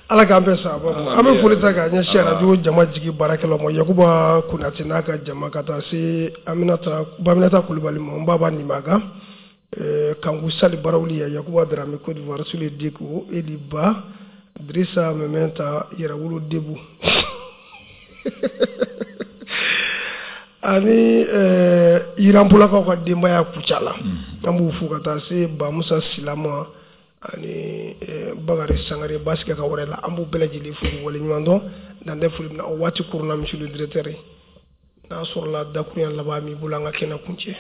Ala k'an bɛɛ sa. An bɛ foli ta k'a ɲɛsin arajo jama jigi baarakɛlaw ma, Yakuba Konate n'a ka jama, ka taa se Aminata Baminata Kulubali ma, n baba Nimaga, Kanku Sali Barawuli, Yakuba Darame Côte d'Ivoire, Sule Diko, Eli Ba, Drissa Mementa, Yɛrɛwolo Debu ani Yiranpolakaw ka denbaya Kucala, an b'u fo ka taa se Bamusa Silama ani Bakari Sangare Basike ka wɛrɛ la, an b'u bɛɛ lajɛlen fo k'u waleɲuman dɔn. Dan tɛ foli min na o waati kurunna, monsieur le directeur, n'a sɔrɔla dakurunya laban b'i bolo, an ka kɛnɛ kuncɛ.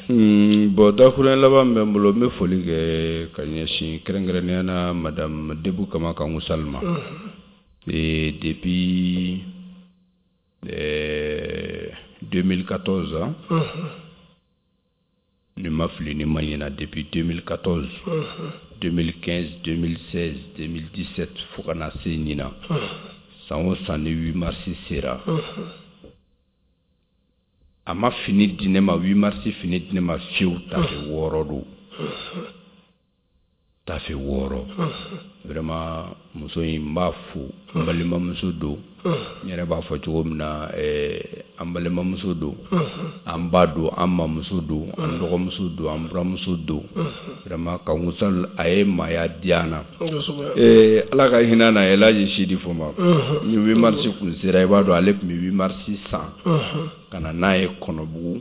Bon, dakurunya laban bɛ n bolo, n bɛ foli kɛ ka ɲɛsin kɛrɛnkɛrɛnnenya na madame Debu Kama Kanku Salima. Et depuis 2014, ni ma fili ni ma ɲina, depuis 2014, 2015, 2016, 2017 fo ka na se ɲina, san o san ni 8 mars sera, a ma fini di ne ma, 8 mars fini di ne ma fiyewu, tafe 6 don, tafe 6. Vraiment muso in n b'a fo, n balimamuso don, n yɛrɛ b'a fɔ cogo min na, an balimamuso don, an ba don, an mamuso don, an dɔgɔmuso don, an buramuso don. Vraiment Kanku Sall a ye maaya diya an na. Ala ka hinɛ na Elhaji Sidi Fɔma, ni 8 mars kun sera, i b'a dɔn ale tun bɛ 8 mars san ka na n'a ye Kɔnɔbugu,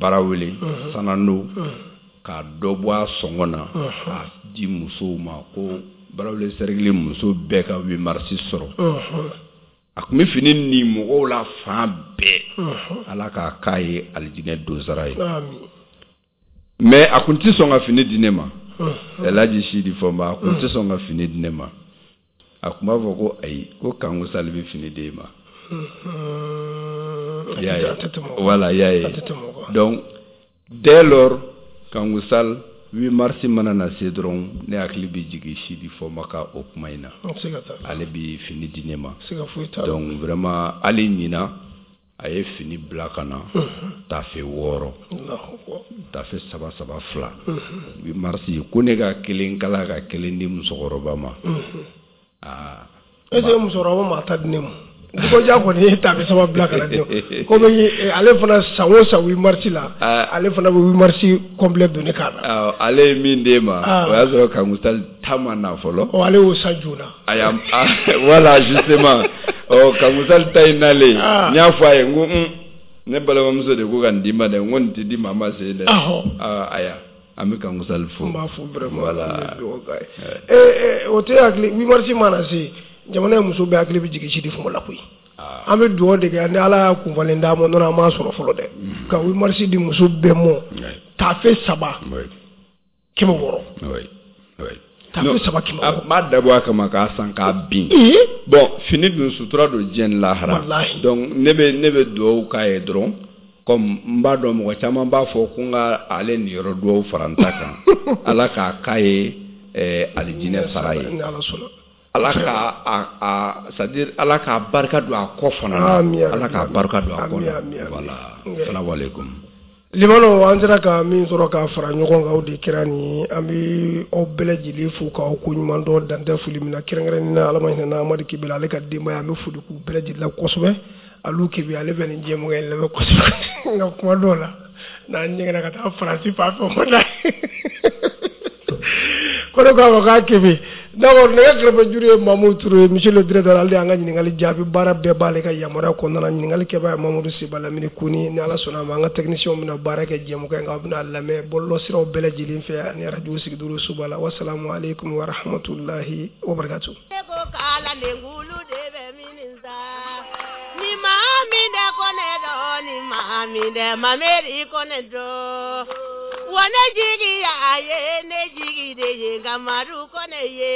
Barawele, Sanando, k'a dɔ bɔ a sɔngɔ na k'a di musow ma, ko Barawele cercle muso bɛɛ ka 8 mars sɔrɔ. A tun bɛ fini ni mɔgɔw la fan bɛɛ. Ala k'a k'a ye alijinɛ donsara ye. Mais a kun tɛ sɔn ka fini di ne ma. Elhaji Sidi Fɔma a kun tɛ sɔn ka fini di ne ma. A tun b'a fɔ ko ayi, ko Kanku Sall bɛ fini d'e ma. I y'a ye. Voilà, i y'a ye. Donc dès lors Kanku Sall 8 mars mana na se dɔrɔn, ne hakili bɛ jigin Sidi Fɔma ka o kuma in na. Ale bɛ fini di ne ma. Donc vraiment hali ɲina a ye fini bila ka na tafe 6, tafe 3 3 2. 8 mars ko ne ka kelen kala ka kelen di musokɔrɔba ma. Aa, est ce que musokɔrɔba ma ta di ne ma? Dikoja kɔni ye tafe 3 bila ka na di ne ma. Komi ale fana san o san 8 mars la, ale fana bɛ 8 mars complet don ne kan na. Ale ye min d'e ma, o y'a sɔrɔ Kanku Sall ta ma na fɔlɔ. Ɔ, ale y'o san joona. Aya, voilà justement. Ɔ, Kanku Sall ta in nalen, n y'a fɔ a ye, n ko ne balimamuso de ko ka nin d'i ma dɛ, n ko nin tɛ di maa ma se dɛ. Aya, an bɛ Kanku Sall fo. N b'a fo vraiment. Voilà. O tɛ hakili 8 mars mana se, jamana in muso bɛɛ hakili bɛ jigin Sidi Fɔma la koyi. An bɛ dugawu de kɛ ni Ala y'a kunfalen d'a ma, nɔnɔ an m'a sɔrɔ fɔlɔ dɛ. Ka 8 mars di muso bɛɛ mɔ, tafe 3 600. Tafe 3 600. A m'a dabɔ a kama k'a san k'a bin. Bon, fini dun sutura don diɲɛ ni lahara. Donc ne bɛ dugawu k'a ye dɔrɔn, comme n b'a dɔn mɔgɔ caman b'a fɔ ko n ka ale niyɔrɔ dugawu fara n ta kan. Ala k'a k'a ye alijinɛ sara ye. Ala ka a c'est à dire Ala k'a barika don a kɔ fana na. Ala k'a barika don a kɔ la. Voilà. Salamu aleykum. Limano, an sera ka min sɔrɔ ka fara ɲɔgɔn kan, o de kɛra nin. An bɛ aw bɛɛ lajɛlen fo k'aw ko ɲuman dɔn, dan tɛ foli min na, kɛrɛnkɛrɛnnen na Ala ma hinɛ na Amadu Kebele ale ka denbaya, an bɛ foli k'u bɛɛ lajɛlen la kosɛbɛ. Alu Kebe ale bɛ nin jɛmukan in lamɛn kosɛbɛ, nka kuma dɔw la n'an ɲɛgɛnna ka taa Faransi fan fɛ, o ma da ko ne k'a ma k'a Kebe. D'abord nɛgɛ kɛrɛfɛ juru ye Mamudu Ture, monsieur le directeur, ale y'an ka ɲininkali jaabi, baara bɛɛ b'ale ka yamaruya kɔnɔna na. Ɲininkali kɛbaa ye Mamudu Seba Lamini Koni. Ni Ala sɔnna a ma, an ka technicien bɛna baara kɛ jɛmukan in kan, aw bɛna lamɛn bɔlɔlɔsiraw bɛɛ lajɛlen fɛ ani radio sigidoro soba la. Wasalamu aleykum wa rahmatulahi wa barakatuh. Ni maa min de ko ne dɔn, ni maa min de mameri ko ne dɔn. Ko ne jigi a ye ne jigi de ye nka Madu ko ne ye.